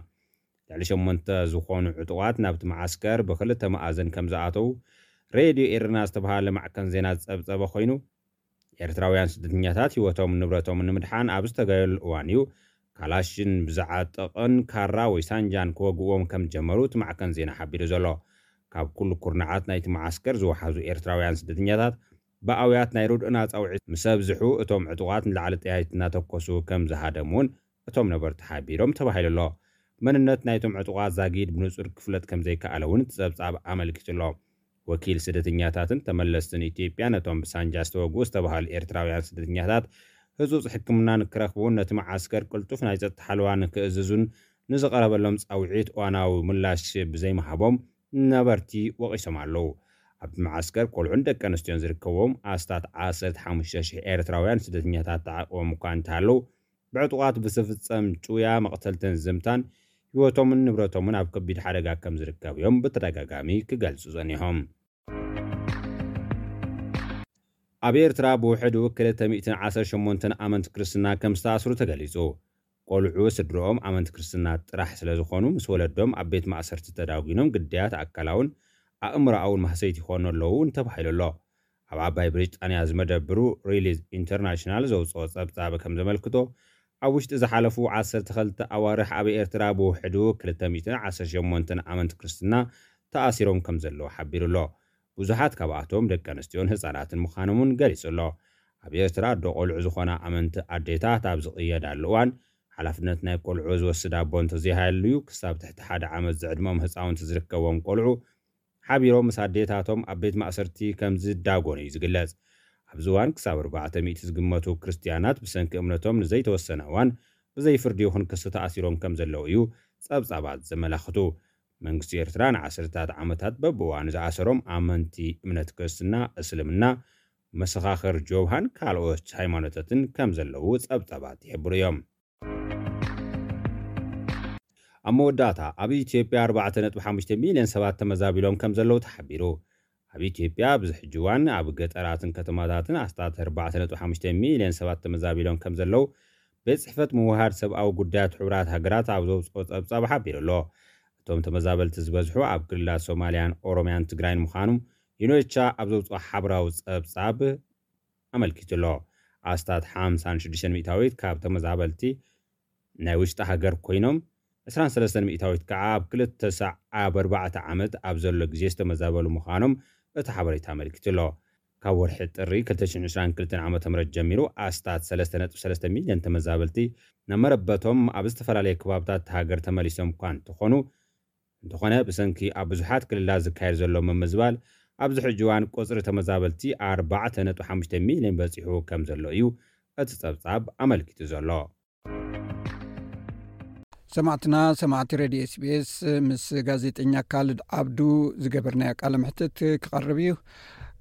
ልዕሊ ሸሞንተ ዝኾኑ ዕጡቓት ናብቲ መዓስከር ብኽልተ መኣዝን ከም ዝኣተዉ ሬድዮ ኤረና ዝተባህለ ማዕከን ዜና ዝጸብጸበ ኮይኑ፣ ኤርትራውያን ስደተኛታት ህይወቶምን ንብረቶምን ንምድሓን ኣብ ዝተጋየሉ እዋን እዩ ካላሽን ብዝዓጠቐን ካራ ወይ ሳንጃን ክወግእዎም ከም ዝጀመሩ እቲ ማዕከን ዜና ሓቢሩ ዘሎ። ካብ ኩሉ ኩርናዓት ናይቲ መዓስከር ዝወሓዙ ኤርትራውያን ስደተኛታት ብኣውያት ናይ ርድእና ጻውዒት ምስ ኣብዝሑ፣ እቶም ዕጡቓት ንላዕሊ ጠያይት እናተኮሱ ከም ዝሃደሙ እውን እቶም ነበርቲ ሓቢሮም ተባሂሉ ኣሎ። መንነት ናይቶም ዕጡቓት ዛጊድ ብንጹር ክፍለጥ ከም ዘይከኣለ እውን እቲ ጸብጻብ ኣመልኪቱ ኣሎ። ወኪል ስደተኛታትን ተመለስትን ኢትዮጵያ ነቶም ብሳንጃ ዝተወግኡ ዝተባህሉ ኤርትራውያን ስደተኛታት ህጹጽ ሕክምና ንክረኽቡ እውን ነቲ መዓስከር ቅልጡፍ ናይ ጸጥታ ሓለዋ ንክእዝዙን ንዝቐረበሎም ጻውዒት እዋናዊ ምላሽ ብዘይምሃቦም ነበርቲ ወቒሶም ኣለዉ። ኣብቲ መዓስከር ቆልዑን ደቂ ኣንስትዮን ዝርከብዎም ኣስታት ዓሰርተ ሓሙሽተ ሽሕ ኤርትራውያን ስደተኛታት ተዓቂቦም እኳ እንተሃለዉ፣ ብዕጡቓት ብዝፍጸም ጭውያ፣ መቕተልትን ዝምታን ህይወቶምን ንብረቶምን ኣብ ከቢድ ሓደጋ ከም ዝርከብ እዮም ብተደጋጋሚ ክገልጹ ጸኒሖም። ኣብ ኤርትራ ብውሕዱ ክልተ ሚእትን ዓሰርተ ሸሞንተን ኣመንቲ ክርስትና ከም ዝተኣስሩ ተገሊጹ። ቆልዑ ስድርኦም ኣመንቲ ክርስትና ጥራሕ ስለ ዝኾኑ፣ ምስ ወለዶም ኣብ ቤት ማእሰርቲ ተዳጒኖም ግዳያት ኣካላውን ኣእምሮኣውን ማህሰይቲ ይኾኑ ኣለዉ እውን ተባሂሉ ኣሎ። ኣብ ዓባይ ብሪጣንያ ዝመደብሩ ሪሊዝ ኢንተርናሽናል ዘውፅኦ ጸብጻብ ከም ዘመልክቶ፣ ኣብ ውሽጢ ዝሓለፉ ዓሰርተ ክልተ ኣዋርሕ ኣብ ኤርትራ ብውሕዱ ክልተ ሚእትን ዓሰርተ ሸሞንተን ኣመንቲ ክርስትና ተኣሲሮም ከም ዘለዉ ሓቢሩ ኣሎ። ብዙሓት ካብኣቶም ደቂ ኣንስትዮን ህጻናትን ምዃኖም እውን ገሊጹ ኣሎ። ኣብ ኤርትራ ኣዶ ቆልዑ ዝኾና ኣመንቲ ኣዴታት ኣብ ዝቕየዳሉ እዋን፣ ሓላፍነት ናይ ቆልዑ ዝወስድ ኣቦ እንተዘይሃልዩ፣ ክሳብ ትሕቲ ሓደ ዓመት ዝዕድሞም ህጻውንቲ ዝርከብዎም ቆልዑ ሓቢሮም ምስ ኣዴታቶም ኣብ ቤት ማእሰርቲ ከም ዝዳጎኑ እዩ ዝግለጽ። ኣብዚ እዋን ክሳብ ኣርባዕተ ሚእቲ ዝግመቱ ክርስትያናት ብሰንኪ እምነቶም ንዘይተወሰነ እዋን ብዘይ ፍርዲ ይኹን ክሲ ተኣሲሮም ከም ዘለዉ እዩ ጸብጻባት ዘመላኽቱ። መንግስቲ ኤርትራ ንዓሰርታት ዓመታት በብእዋኑ ዝኣሰሮም ኣመንቲ እምነት ክርስትና፣ እስልምና፣ መሰኻኽር ጆብሃን ካልኦት ሃይማኖታትን ከም ዘለዉ ጸብጻባት ይሕብሩ እዮም። ኣብ መወዳእታ፣ ኣብ ኢትዮጵያ ኣርባዕተ ነጥቢ ሓሙሽተ ሚልዮን ሰባት ተመዛቢሎም ከም ዘለዉ ተሓቢሩ። ኣብ ኢትዮጵያ ኣብዚ ሕጂ እዋን ኣብ ገጠራትን ከተማታትን ኣስታት ኣርባዕተ ነጥቢ ሓሙሽተ ሚልዮን ሰባት ተመዛቢሎም ከም ዘለዉ ቤት ጽሕፈት ምውሃድ ሰብኣዊ ጉዳያት ሕቡራት ሃገራት ኣብ ዘውፅኦ ጸብጻብ ሓቢሩ ኣሎ። እቶም ተመዛበልቲ ዝበዝሑ ኣብ ክልላት ሶማልያን ኦሮምያን ትግራይን ምዃኖም ዩኔቻ ኣብ ዘውፅኦ ሓበራዊ ጸብጻብ ኣመልኪቱ ኣሎ። ኣስታት ሓምሳን ሽዱሽተን ሚእታዊት ካብ ተመዛበልቲ ናይ ውሽጢ ሃገር ኮይኖም፣ ዕስራን ሰለስተን ሚእታዊት ከዓ ኣብ ክልተ ሳዕ ኣብ ኣርባዕተ ዓመት ኣብ ዘሎ ግዜ ዝተመዛበሉ ምዃኖም እቲ ሓበሬታ ኣመልኪቱ ኣሎ። ካብ ወርሒ ጥሪ ክልተ ሽሕን ዕስራን ክልተን ዓመተ ምህረት ጀሚሩ ኣስታት ሰለስተ ነጥቢ ሰለስተ ሚልዮን ተመዛበልቲ ናብ መረበቶም ኣብ ዝተፈላለየ ከባብታት ሃገር ተመሊሶም እኳ እንተኾኑ፣ እንተኾነ ብሰንኪ ኣብ ብዙሓት ክልላት ዝካየድ ዘሎ ምምዝባል፣ ኣብዚ ሕጂ እዋን ቁጽሪ ተመዛበልቲ ኣርባዕተ ነጥቢ ሓሙሽተ ሚልዮን በጺሑ ከም ዘሎ እዩ እቲ ጸብጻብ ኣመልኪቱ ዘሎ። ሰማዕትና፣ ሰማዕቲ ሬድዮ ኤስቢኤስ፣ ምስ ጋዜጠኛ ካልድ ዓብዱ ዝገበርናዮ ቃለ መሕትት ክቐርብ እዩ።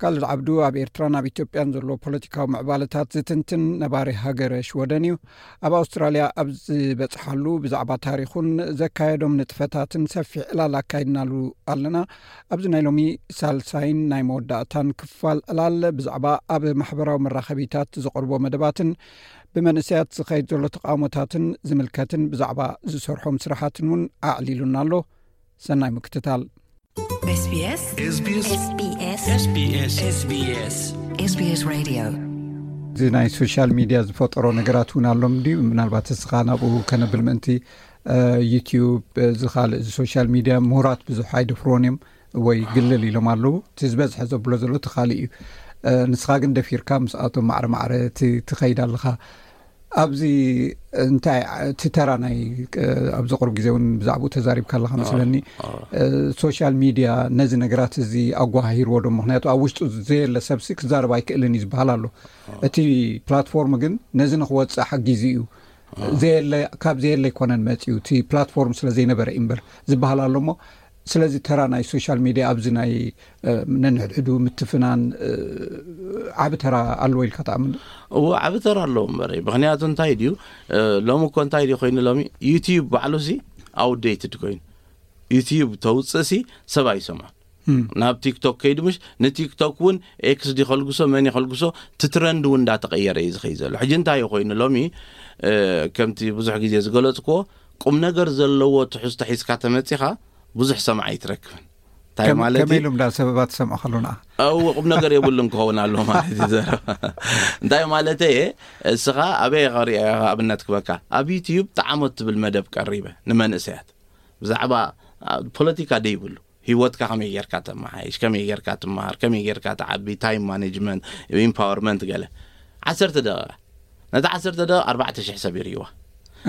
ካልድ ዓብዱ ኣብ ኤርትራን ኣብ ኢትዮጵያን ዘሎ ፖለቲካዊ ምዕባለታት ዝትንትን ነባሪ ሃገረ ሽወደን እዩ። ኣብ ኣውስትራልያ ኣብ ዝበጽሓሉ ብዛዕባ ታሪኹን ዘካየዶም ንጥፈታትን ሰፊሕ ዕላል ኣካይድናሉ ኣለና። ኣብዚ ናይ ሎሚ ሳልሳይን ናይ መወዳእታን ክፋል ዕላል ብዛዕባ ኣብ ማሕበራዊ መራኸቢታት ዘቕርቦ መደባትን ብመንእሰያት ዝኸይድ ዘሎ ተቓውሞታትን ዝምልከትን ብዛዕባ ዝሰርሖም ስራሓትን እውን ኣዕሊሉና ኣሎ። ሰናይ ምክትታል። SBS SBS SBS SBS SBS SBS Radio። እዚ ናይ ሶሻል ሚድያ ዝፈጠሮ ነገራት እውን ኣሎም ድዩ? ምናልባት እስኻ ናብኡ ከነብል ምእንቲ ዩቲዩብ፣ እዚ ካልእ፣ እዚ ሶሻል ሚድያ ምሁራት ብዙሕ ኣይደፍርዎን እዮም ወይ ግልል ኢሎም ኣለዉ። እቲ ዝበዝሐ ዘብሎ ዘሎ እቲ ካልእ እዩ። ንስኻ ግን ደፊርካ ምስኣቶም ማዕረ ማዕረ ትኸይድ ኣለኻ። ኣብዚ እንታይ እቲ ተራ ናይ ኣብዚ ቅሩብ ግዜ እውን ብዛዕባኡ ተዛሪብካ ኣለካ መስለኒ። ሶሻል ሚድያ ነዚ ነገራት እዚ ኣጓሃሂርዎ ዶ? ምክንያቱ ኣብ ውሽጡ ዘየለ ሰብሲ ክዛረብ ኣይክእልን እዩ ዝበሃል ኣሎ። እቲ ፕላትፎርም ግን ነዚ ንክወፅእ ሓጊዙ እዩ። ዘየለ ካብ ዘየለ ኣይኮነን መፅዩ፣ እቲ ፕላትፎርም ስለ ዘይነበረ እዩ እምበር ዝበሃል ኣሎ እሞ። ስለዚ ተራ ናይ ሶሻል ሚድያ ኣብዚ ናይ ነንሕድሕዱ ምትፍናን ዓቢ ተራ ኣለዎ ኢልካ ትኣምን? እዎ፣ ዓቢ ተራ ኣለዎ እምበር። ምክንያቱ እንታይ ድዩ፣ ሎሚ እኮ እንታይ ድዩ ኮይኑ፣ ሎሚ ዩቲዩብ ባዕሉ ሲ ኣውትዴትድ ኮይኑ፣ ዩቲዩብ ተውፅእ ሲ ሰብ ኣይሰምዖን። ናብ ቲክቶክ ከይዱ ምሽ፣ ንቲክቶክ እውን ኤክስ ዲ ከልግሶ መን ይኸልግሶ፣ ትትረንድ እውን እንዳተቐየረ እዩ ዝኸይ ዘሎ። ሕጂ እንታይ እዩ ኮይኑ ሎሚ፣ ከምቲ ብዙሕ ግዜ ዝገለፅክዎ፣ ቁም ነገር ዘለዎ ትሕዝቶ ሒዝካ ተመፂኻ ብዙሕ ሰማዕ ኣይትረክብን። እንታይ ማለት እዩ? ከመይ ኢሉ እንዳ ሰበባት ሰምዖ ከሎ ንዓ? እው፣ ቁም ነገር የብሉን ክኸውን ኣሎ ማለት እዩ ዘረባ። እንታይ ማለት እየ? እስኻ ኣበይ ኸሪአ ኣብነት ክበካ፣ ኣብ ዩቲዩብ ጣዕሞት ትብል መደብ ቀሪበ ንመንእሰያት ብዛዕባ ፖለቲካ ደይብሉ፣ ህይወትካ ከመይ ጌርካ ተመሓይሽ፣ ከመይ ጌርካ ትመሃር፣ ከመይ ጌርካ ትዓቢ፣ ታይም ማኔጅመንት፣ ኢምፓወርመንት ገለ። ዓሰርተ ደቂቃ፣ ነታ ዓሰርተ ደቂቃ ኣርባዕተ ሽሕ ሰብ ይርእይዋ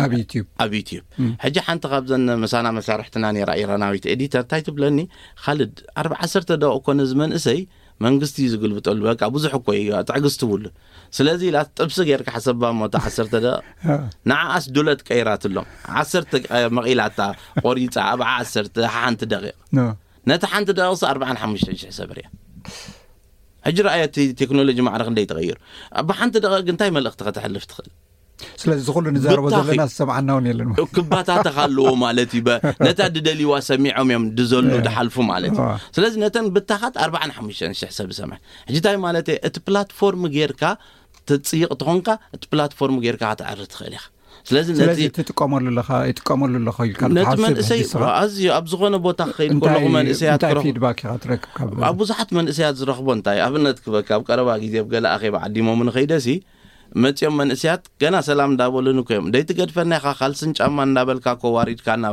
ኣብ ዩቲዩብ። ኣብ ዩቲዩብ። ሕጂ ሓንቲ ካብዘን ምሳና መሳርሕትና ነይራ፣ ኢራናዊት ኤዲተር፣ እንታይ ትብለኒ፣ ካልድ፣ ኣርባ ዓሰርተ ደቂቃ እኮ ነዚ መንእሰይ መንግስቲ እዩ ዝግልብጠሉ። በቃ ብዙሕ እኮ እዩ፣ ትዕግስቲ ብሉ። ስለዚ ኢላ ጥብሲ ጌርካ ሓሰባ እሞ እታ ዓሰርተ ደቂቕ። ንዓኣስ ዱለት ቀይራትሎም። ዓሰርተ መቒላታ ቆሪጻ ኣብ ዓሰርተ ሓንቲ ደቂቕ። ነቲ ሓንቲ ደቂቕስ ኣርባዓን ሓሙሽተን ሽሕ ሰብ ርያ። ሕጂ ረኣዮ እቲ ቴክኖሎጂ ማዕረ ክንደይ ተቐይሩ። ኣብ ሓንቲ ደቂቕ ግን እንታይ መልእኽቲ ከተሕልፍ ትኽእል? ስለዚ እዚ ኩሉ ንዛረቦ ዘለና ዝሰምዓና እውን የለን። ክባታተኽ ኣለዎ ማለት እዩ። ነታ ድደልይዋ ሰሚዖም እዮም ድዘሉ ድሓልፉ ማለት እዩ። ስለዚ ነተን ብታኻት ኣርባዓን ሓሙሽተን ሽሕ ሰብ ሰምዕ። ሕጂ እንታይ ማለት እየ? እቲ ፕላትፎርም ጌርካ ትጽይቕ ተኾንካ፣ እቲ ፕላትፎርም ጌርካ ክትዓሪ ትኽእል ኢኻ። ስለዚ ነቲ ስለዚ ትጥቀመሉ ኣለኻ፣ ይጥቀመሉ ኣለኹ ኢልካ ነቲ ትሓስብ መንእሰይ ሕጂ ስኻ? ኣዝዩ ኣብ ዝኾነ ቦታ ክኸይድ እንታይ ከለኹ መንእሰያት እንታይ ክረኽቡ ፊድባክ ኢኻ ትረክብ ካብ ኣብ ብዙሓት መንእሰያት ዝረኽቦ እንታይ ኣብነት ክበካ ኣብ ቀረባ ግዜ ኣብ ገለ ኣኼባ ዓዲሞም ንኸይደሲ መጺኦም መንእሰያት ገና ሰላም እንዳበሉን እኮ እዮም። ደይ ትገድፈና ኢኻ ካልስን ጫማ እንዳበልካ እኮ ዋሪድካና።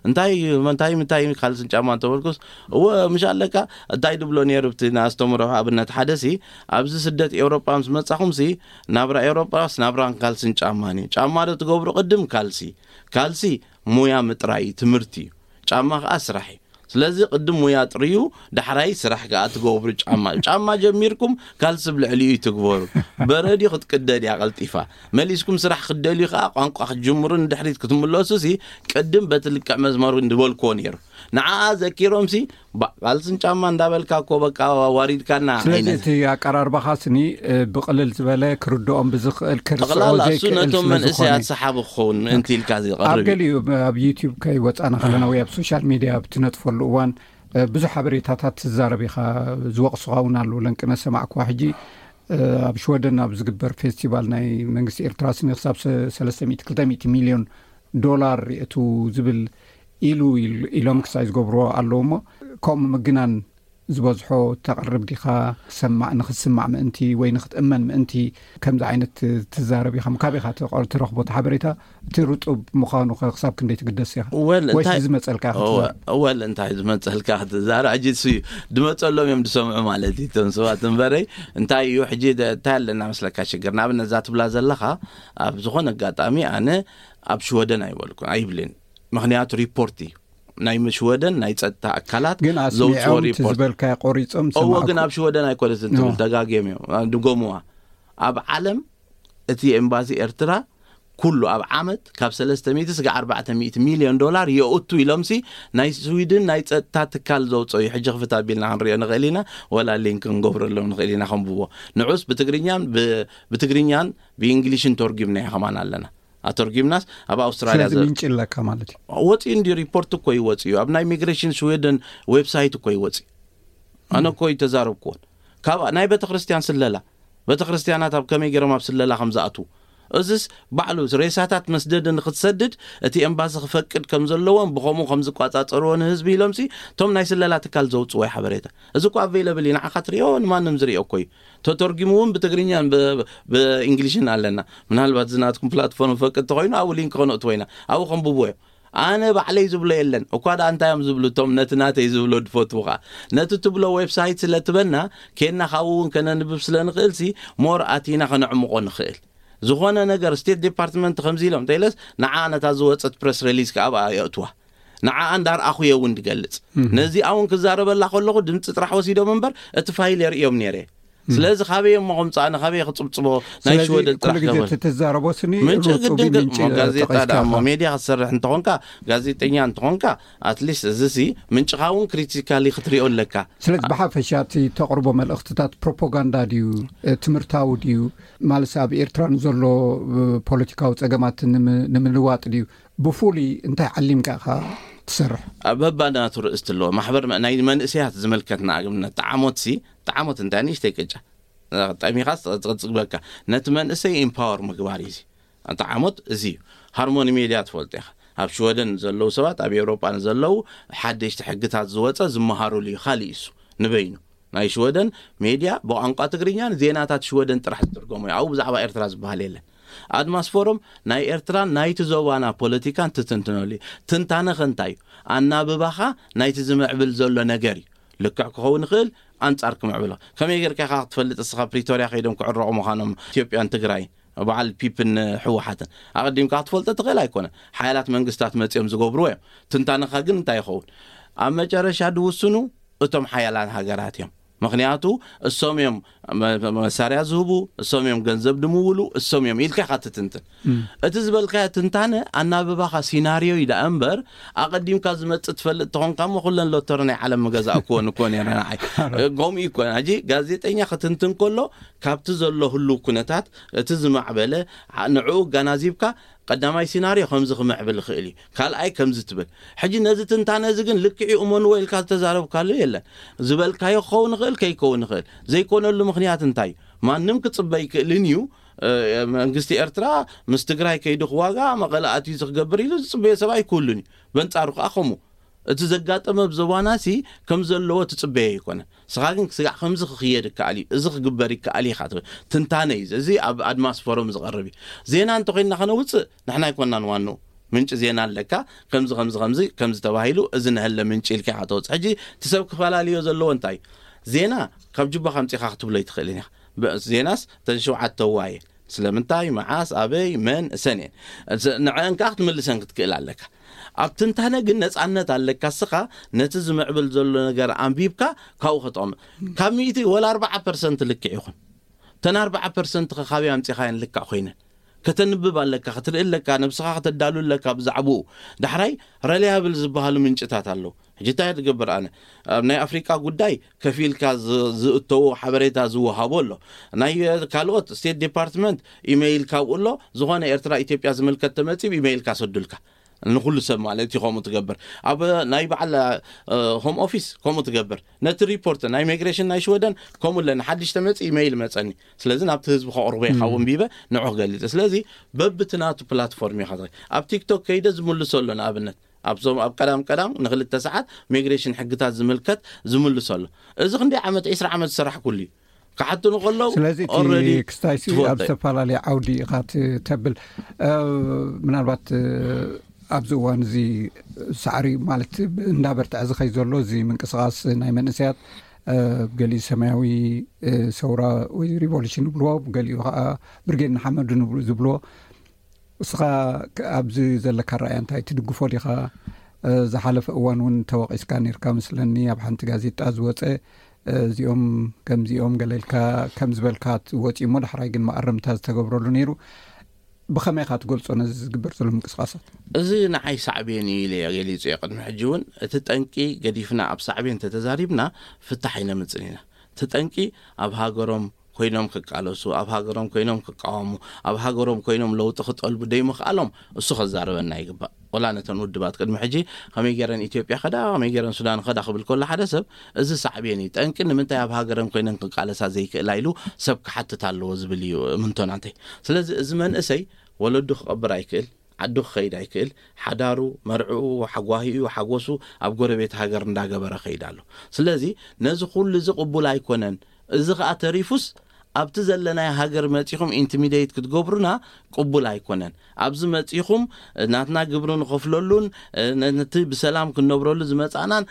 እንታይ እንታይ ምታይ ካልስን ጫማ እንተበልኩስ እወ ምሽ ኣለካ እንታይ ድብሎ ነይሩ ብቲ ንኣስተምሮ ኣብነት ሓደሲ ኣብዚ ስደት ኤውሮጳ ምስ መጻኹምሲ ናብራ ኤውሮጳስ ናብራን ካልስን ጫማን እዩ። ጫማ ዶ ትገብሩ ቅድም ካልሲ ካልሲ ሙያ ምጥራይ ትምህርቲ እዩ። ጫማ ከኣ ስራሕ እዩ። ስለዚ ቅድም ሙያ ጥርዩ ዳሕራይ ስራሕ ከኣ ትገብሩ ጫማ እዩ። ጫማ ጀሚርኩም ካልሲ ብልዕሊኡ እዩ ትግበሩ። በረድዩ ክትቅደድ እያ ቀልጢፋ። መሊስኩም ስራሕ ክትደልዩ ከኣ ቋንቋ ክትጅምሩ ንድሕሪት ክትምለሱ ሲ ቅድም በቲ ልክዕ መዝመሩ ንበልክዎ ነይሩ። ንዓኣ ዘኪሮም ሲ ካልስን ጫማ እንዳበልካ እኮ በቃ ዋሪድካና ስለዚ ዓይነት እቲ ኣቀራርባኻ ስኒ ብቕልል ዝበለ ክርድኦም ብዝኽእል ክርስዖ ጠቕላላ እሱ ዘይክእል ነቶም ስለ ዝኾነ መንእሰያት ሰሓቢ ክኸውን ምእንቲ ኢልካ ኣብ ዝቐርብ እዩ። ገሊኡ ኣብ ዩቲዩብ ከይወፃና ከለና ወይ ኣብ ሶሻል ሚድያ ኣብ ትነጥፈሉ እዋን ብዙሕ ሓበሬታታት ትዛረብ ኢኻ። ዝወቕሱኻ እውን ኣለዉ ለንቅነ ሰማዕኩዋ ሕጂ ኣብ ሽወደን ኣብ ዝግበር ፌስቲቫል ናይ መንግስቲ ኤርትራ ስኒ ክሳብ ሰለስተ ሚእቲ ክልተ ሚእቲ ሚልዮን ዶላር የእቱ ዝብል ኢሉ ኢሎም ክሳይ ዝገብርዎ ኣለዉ እሞ ከምኡ ምግናን ዝበዝሖ ተቕርብ ዲኻ? ክሰማዕ ንክስማዕ ምእንቲ ወይ ንክትእመን ምእንቲ ከምዚ ዓይነት ትዛረብ ኢኻ? ካብ ኢኻ ትረኽቦ እቲ ሓበሬታ እቲ ርጡብ ምዃኑ ክሳብ ክንደይ ትግደስ ኢኻ? ወይስ ዝመፀልካ ኢኻ ትዛረብ? ወል እንታይ ዝመፀልካ ክትዛረብ ሕጂ ስ ድመፀሎም እዮም ዝሰምዑ ማለት እዩ እቶም ሰባት እምበረይ እንታይ እዩ ሕጂ እንታይ ኣለና መስለካ ሽግር ንኣብነት እዛ ትብላ ዘለኻ ኣብ ዝኾነ ኣጋጣሚ ኣነ ኣብ ሽወደን ኣይበልኩን ኣይብልን ምክንያቱ ሪፖርት እዩ ናይ ሽወደን ናይ ፀጥታ ኣካላት ግን ዘውፅኦ ኣስሚዖም እቲ ሪፖርት ዝበልካዮ ቆሪፆም እዎ ግን ዝሰማዕኩ ኣብ ሽወደን ኣይኮነትን ትብል ኖ። ተጋግዮም እዮም ድጎምዋ ኣብ ዓለም እቲ ኤምባሲ ኤርትራ ኩሉ ኣብ ዓመት ካብ ሰለስተ ሚእቲ ስጋዕ ኣርባዕተ ሚእቲ ሚልዮን ዶላር የእቱ ኢሎምሲ ናይ ስዊድን ናይ ጸጥታ ትካል ዘውፅኦ እዩ። ሕጂ ክፍት ኣቢልና ክንሪኦ ንኽእል ኢና፣ ወላ ሊንክ ክንገብረሎም ንኽእል ኢና ከንብቦ። ንዑስ ብትግርኛን ብ- ብትግርኛን ብእንግሊሽን ተርጉምና ከማን ኣለና። ኣተርጉምናስ ኣብ ኣውስትራልያ ስለዚ ዘ- ምንጭ ኣለካ ማለት እዩ። ወፂኡ እንዲ ሪፖርት እኮ ይወፅ እዩ። ኣብ ናይ ኢሚግሬሽን ስዊድን ዌብሳይት እኮ ይወፅ እዩ። ኣነ እኮ ይተዛረብኩዎን ካብ ናይ ቤተክርስትያን ስለላ፣ ቤተክርስትያናት ኣብ ከመይ ገይሮም ኣብ ስለላ ከም ዝኣትዉ፣ እዚስ ባዕሉ ሬሳታት መስደዲ ንክትሰድድ እቲ ኤምባሲ ክፈቅድ ከም ዘለዎን ብኸምኡ ከም ዝቋጻጸርዎ ንህዝቢ ኢሎምሲ እቶም ናይ ስለላ ትካል ዘውፅዎ ሓበሬታ። እዚ እኮ ኣቬይለብል እዩ፣ ንዓኻ ትሪኦ፣ ንማንም ዝሪኦ እኮ እዩ። ተተርጉሙ እውን ብትግርኛን ብ- ብእንግሊሽን ኣለና። ምናልባት እዚ ናትኩም ፕላትፎርም ፈቅድ ተኮይኑ ኣብኡ ሊንክ ከነእትዎ ኢና፣ ኣብኡ ከንብብዎ እዮም። ኣነ ባዕለይ ዝብሎ የለን እኳ ደኣ እንታይ እዮም ዝብሉ እቶም ነቲ ናተይ ዝብሎ ዝፈትዉ ከዓ። ነቲ ትብሎ ዌብሳይት ስለ ትበና ኬድና ካብኡ እውን ከነንብብ ስለ ንኽእልሲ ሞር ኣቲና ከነዕምቆ ንኽእል። ዝኾነ ነገር ስቴት ዲፓርትመንት ከምዚ ኢሎም እንተኢለስ ንዓ ነታ ዝወፀት ፕረስ ሪሊዝ ከዓ ኣብኣ የእትዋ። ንዓኣ እንዳርኣኹ እየ እውን ዝገልፅ። ነዚኣ እውን ክዛረበላ ከለኹ ድምፂ ጥራሕ ወሲዶም እምበር እቲ ፋይል የርእዮም ነይረ። ስለዚ ካበየ እሞ ከምፃእነ ካበየ ክፅብፅቦ ናይ ስለዚ ሽወደን ኩሉ ጥራሕ ግዜ ገበል ትትዛረቦ ስኒ ምንጭ ሩጡብ ግድን ምንጭ ሞ ጋዜጣ ጠቒስካ ደኣ እሞ ኢኻ። ሜድያ ክትሰርሕ እንተኾንካ፣ ጋዜጠኛ እንተኾንካ፣ ኣትሊስት እዚሲ ምንጭኻ እውን ክሪቲካሊ ክትሪኦ ኣለካ። ስለዚ ብሓፈሻ እቲ ተቕርቦ መልእኽትታት ፕሮፓጋንዳ ድዩ፣ እ፣ ትምህርታዊ ድዩ? ማለት ኣብ ኤርትራ ንዘሎ፣ እ፣ ፖለቲካዊ ጸገማት ንም- ንምልዋጥ ድዩ? ብፍሉይ እንታይ ዓሊምካ ኢኻ ትሰርሕ? ኣብ በባናቱ ርእስቲ ኣለዎ። ማሕበር መ- ናይ መንእሰያት ዝምልከት ንኣብነት ጠዓሞትሲ፣ ጠዓሞት እንታይ ንእሽተይ ቅጫ ጠሚኻ ዝቕጽግበካ፣ ነቲ መንእሰይ ኢምፓወር ምግባር እዩ። እዚ ጠዓሞት እዚ እዩ። ሃርሞኒ ሜድያ ትፈልጦ ኢኻ። ኣብ ሽወደን ዘለዉ ሰባት፣ ኣብ ኤውሮጳ ንዘለዉ ሓደሽቲ ሕግታት ዝወፀ ዝመሃሩሉ እዩ። ካሊእ እሱ ንበይኑ ናይ ሽወደን ሜድያ ብቋንቋ ትግርኛን ዜናታት ሽወደን ጥራሕ ዝትርጎሙ እዩ። ኣብኡ ብዛዕባ ኤርትራ ዝበሃል የለን። ኣድማስ ፎረም ናይ ኤርትራን ናይቲ ዞባና ፖለቲካን ትትንትነሉ እዩ። ትንታነኸ እንታይ እዩ? ኣናብባኻ ናይቲ ዝምዕብል ዘሎ ነገር እዩ። ልክዕ ክኸውን ይኽእል፣ ኣንጻር ክምዕብሎ። ከመይ ጌርካ ኢኻ ክትፈልጥ? እስኻ ፕሪቶርያ ከይዶም ክዕረቑ ምዃኖም ኢትዮጵያን ትግራይን፣ በዓል ፒፕን ህወሓትን ኣቐዲምካ ክትፈልጦ ትኽእል ኣይኮነን። ሓያላት መንግስታት መጺኦም ዝገብርዎ እዮም። ትንታነኻ ግን እንታይ ይኸውን? ኣብ መጨረሻ ድውስኑ እቶም ሓያላት ሃገራት እዮም። ምኽንያቱ እሶም እዮም መ- መሳርያ ዝህቡ፣ እሶም እዮም ገንዘብ ድምውሉ፣ እሶም እዮም ኢልካ ኢኻ ትትንትን። እቲ ዝበልካዮ ትንታነ ኣናብባኻ ሲናርዮ እዩ ደኣ እምበር ኣቐዲምካ ዝመጽእ ትፈልጥ ተኾንካ እሞ ኩለን ሎተሪ ናይ ዓለም ምገዛእክወን እኮ ነይረ ንዓይ። ከምኡ እዩ እኮ። ሕጂ ጋዜጠኛ ክትንትን ከሎ ካብቲ ዘሎ ህሉው ኩነታት እቲ ዝማዕበለ ዓ- ንዕኡ ኣጋናዚብካ ቀዳማይ ሲናርዮ ከምዚ ክምዕብል ይኽእል እዩ፣ ካልኣይ ከምዚ ትብል። ሕጂ ነዚ ትንታነ እዚ ግን ልክዕ እዩ እመንዎ ኢልካ ዝተዛረብካሉ የለን። ዝበልካዮ ክኸውን ይኽእል ከይከውን ይኽእል። ዘይኮነሉ ምኽንያት እንታይ እዩ? ማንም ክጽበ ይክእልን እዩ። እ፣ መንግስቲ ኤርትራ ምስ ትግራይ ከይዱ ክዋጋ መቐለ ኣትዩ እዚ ክገብር ኢሉ ዝጽበዮ ሰብ ኣይክህሉን እዩ። በንጻሩ ከዓ ከምኡ እቲ ዘጋጠመ ኣብ ዞባናሲ ከም ዘለዎ ትጽበዮ ኣይኮነን። ንስኻ ግን ስጋዕ ከምዚ ክኽየድ ይከኣል እዩ፣ እዚ ክግበር ይከኣል እዩ ኢኻ ትብል። ትንታነ እዩ እዚ። እዚ ኣብ ኣድማስ ፎረም ዝቐርብ እዩ። ዜና እንተኾይንና ከነውፅእ ንሕና ኣይኮንናን ዋንኡ። ምንጪ ዜና ኣለካ፣ ከምዚ ከምዚ ከምዚ ከምዚ ተባሂሉ፣ እዚ ነሀለ ምንጪ ኢልካ ኢኻ ተወፅእ። ሕጂ እቲ ሰብ ክፈላልዮ ዘለዎ እንታይ እዩ? ዜና ካብ ጁባ ከምፂኻ ክትብሎ ኣይትኽእልን ኢኻ። ብ- ዜናስ ተን ሸውዓተ ዋየ ስለምንታይ፣ መዓስ፣ ኣበይ፣ መን፣ እሰን እየን። እስ- ንዐን ከዓ ክትምልሰን ክትክእል ኣለካ። ኣብ ትንታነ ግን ነፃነት ኣለካ። እስኻ ነቲ ዝምዕብል ዘሎ ነገር ኣንቢብካ ካብኡ ከተቕምጥ። ካብ ሚእቲ ወላ ኣርባዓ ፐርሰንት ልክዕ ይኹን፣ እተን ኣርባዓ ፐርሰንት ከ ካበይ ኣምፂኻየን ልክዕ ኮይነን? ከተንብብ ኣለካ፣ ክትርኢ ኣለካ፣ ነብስኻ ከተዳሉ ኣለካ ብዛዕባኡ። ዳሕራይ ረሊያብል ዝበሃሉ ምንጭታት ኣለዉ። ሕጂ እንታይ ትገብር? ኣነ ኣብ ናይ ኣፍሪቃ ጉዳይ ከፊልካ ዝ- ዝእተዎ ሓበሬታ ዝወሃቦ ኣሎ። ናይ ካልኦት ስቴት ዲፓርትመንት ኢሜይል ካብኡ ኣሎ። ዝኾነ ኤርትራ ኢትዮጵያ ዝምልከት ተመፂ ኢሜይልካ ሰዱልካ። ንኩሉ ሰብ ማለት እዩ ከምኡ ትገብር። ኣብ ናይ በዓል እ፣ ሆም ኦፊስ ከምኡ ትገብር። ነቲ ሪፖርት ናይ ኢሚግሬሽን ናይ ሽወደን ከምኡ ኣለኒ። ሓድሽ ተመፂ ኢሜይል መፀኒ። ስለዚ ናብቲ ህዝቢ ከቕርቦ እየ ካብኡ እንቢበ ንዑ ክገልፅ። ስለዚ በብቲ ናቱ ፕላትፎርም ኢኻ ትኸ- ኣብ ቲክቶክ ከይደ ዝምልሶ ኣሎ። ንኣብነት ኣብዞም ኣብ ቀዳም ቀዳም ንክልተ ሰዓት ኢሚግሬሽን ሕግታት ዝምልከት ዝምልሶ ኣሎ። እዚ ክንደይ ዓመት፣ ዒስራ ዓመት ዝሰራሕኩሉ እዩ። ክሓቱኒ ከለዉ ስለዚ እቲ already ክስታይሲ ትፈልጦ ኣብ እዩ። ዝተፈላለዩ ዓውዲ ኢኻ ት- ተብል። እ፣ ምናልባት፣ እ፣ ኣብዚ እዋን እዚ ሳዕሪ ማለት እንዳበርትዐ ዝኸይ ዘሎ እዚ ምንቅስቃስ ናይ መንእሰያት፣ እ፣ ገሊኡ ሰማያዊ፣ እ፣ ሰውራ ወይ ሪቮሉሽን ይብልዎ፣ ገሊኡ ከዓ ብርጌድ ንሓመዱ ንብሉ- ዝብልዎ። እስኻ ክ- ኣብዚ ዘለካ ረኣያ እንታይ ትድግፎ ዲኻ? እ፣ ዝሓለፈ እዋን እውን ተወቒስካ ነርካ መስለኒ ኣብ ሓንቲ ጋዜጣ ዝወፀ፣ እ፣ እዚኦም ከምዚኦም ገለ ኢልካ ከም ዝበልካ ወፂኡ እሞ ዳሕራይ ግን መኣረምታ ዝተገብረሉ ነይሩ። ብኸመይ ኢኻ ትገልጾ ነዚ ዝግበር ዘሎ ምንቅስቃሳት? እዚ ንዓይ ሳዕቤን እዩ ኢለ እየ ገሊጹ እየ። ቅድሚ ሕጂ እውን እቲ ጠንቂ ገዲፍና ኣብ ሳዕቤን እንተተዛሪብና ፍታሕ ኣይነምጽን ኢና። እቲ ጠንቂ ኣብ ሃገሮም ኮይኖም ክቃለሱ፣ ኣብ ሃገሮም ኮይኖም ክቃወሙ፣ ኣብ ሃገሮም ኮይኖም ለውጢ ክጠልቡ ደይምኽኣሎም እሱ ከዛርበና ይግባእ። ወላ ነተን ውድባት ቅድሚ ሕጂ ከመይ ገይረን ኢትዮጵያ ከዳ፣ ከመይ ገይረን ሱዳን ከዳ ክብል ከሎ ሓደ ሰብ እዚ ሳዕቤን እዩ። ጠንቂ ንምንታይ ኣብ ሃገረን ኮይነን ክቃለሳ ዘይክእላ ኢሉ ሰብ ክሓትት ኣለዎ ዝብል እዩ እምንቶናተይ። ስለዚ እዚ መንእሰይ ወለዱ ክቐብር ኣይክእል፣ ዓዱ ክኸይድ ኣይክእል፣ ሓዳሩ፣ መርዕኡ፣ ሓጓሂኡ፣ ሓጎሱ ኣብ ጎረቤት ሃገር እንዳገበረ ከይድ ኣሎ። ስለዚ ነዚ ኩሉ እዚ ቅቡል ኣይኮነን። እዚ ኸኣ ተሪፉስ ኣብቲ ዘለናይ ሃገር መጺኹም ኢንቲሚዴት ክትገብሩና ቅቡል ኣይኮነን። ኣብዚ መጺኹም ናትና ግብሪ ንኸፍለሉን ነቲ ብሰላም ክንነብረሉ ዝመጻእናን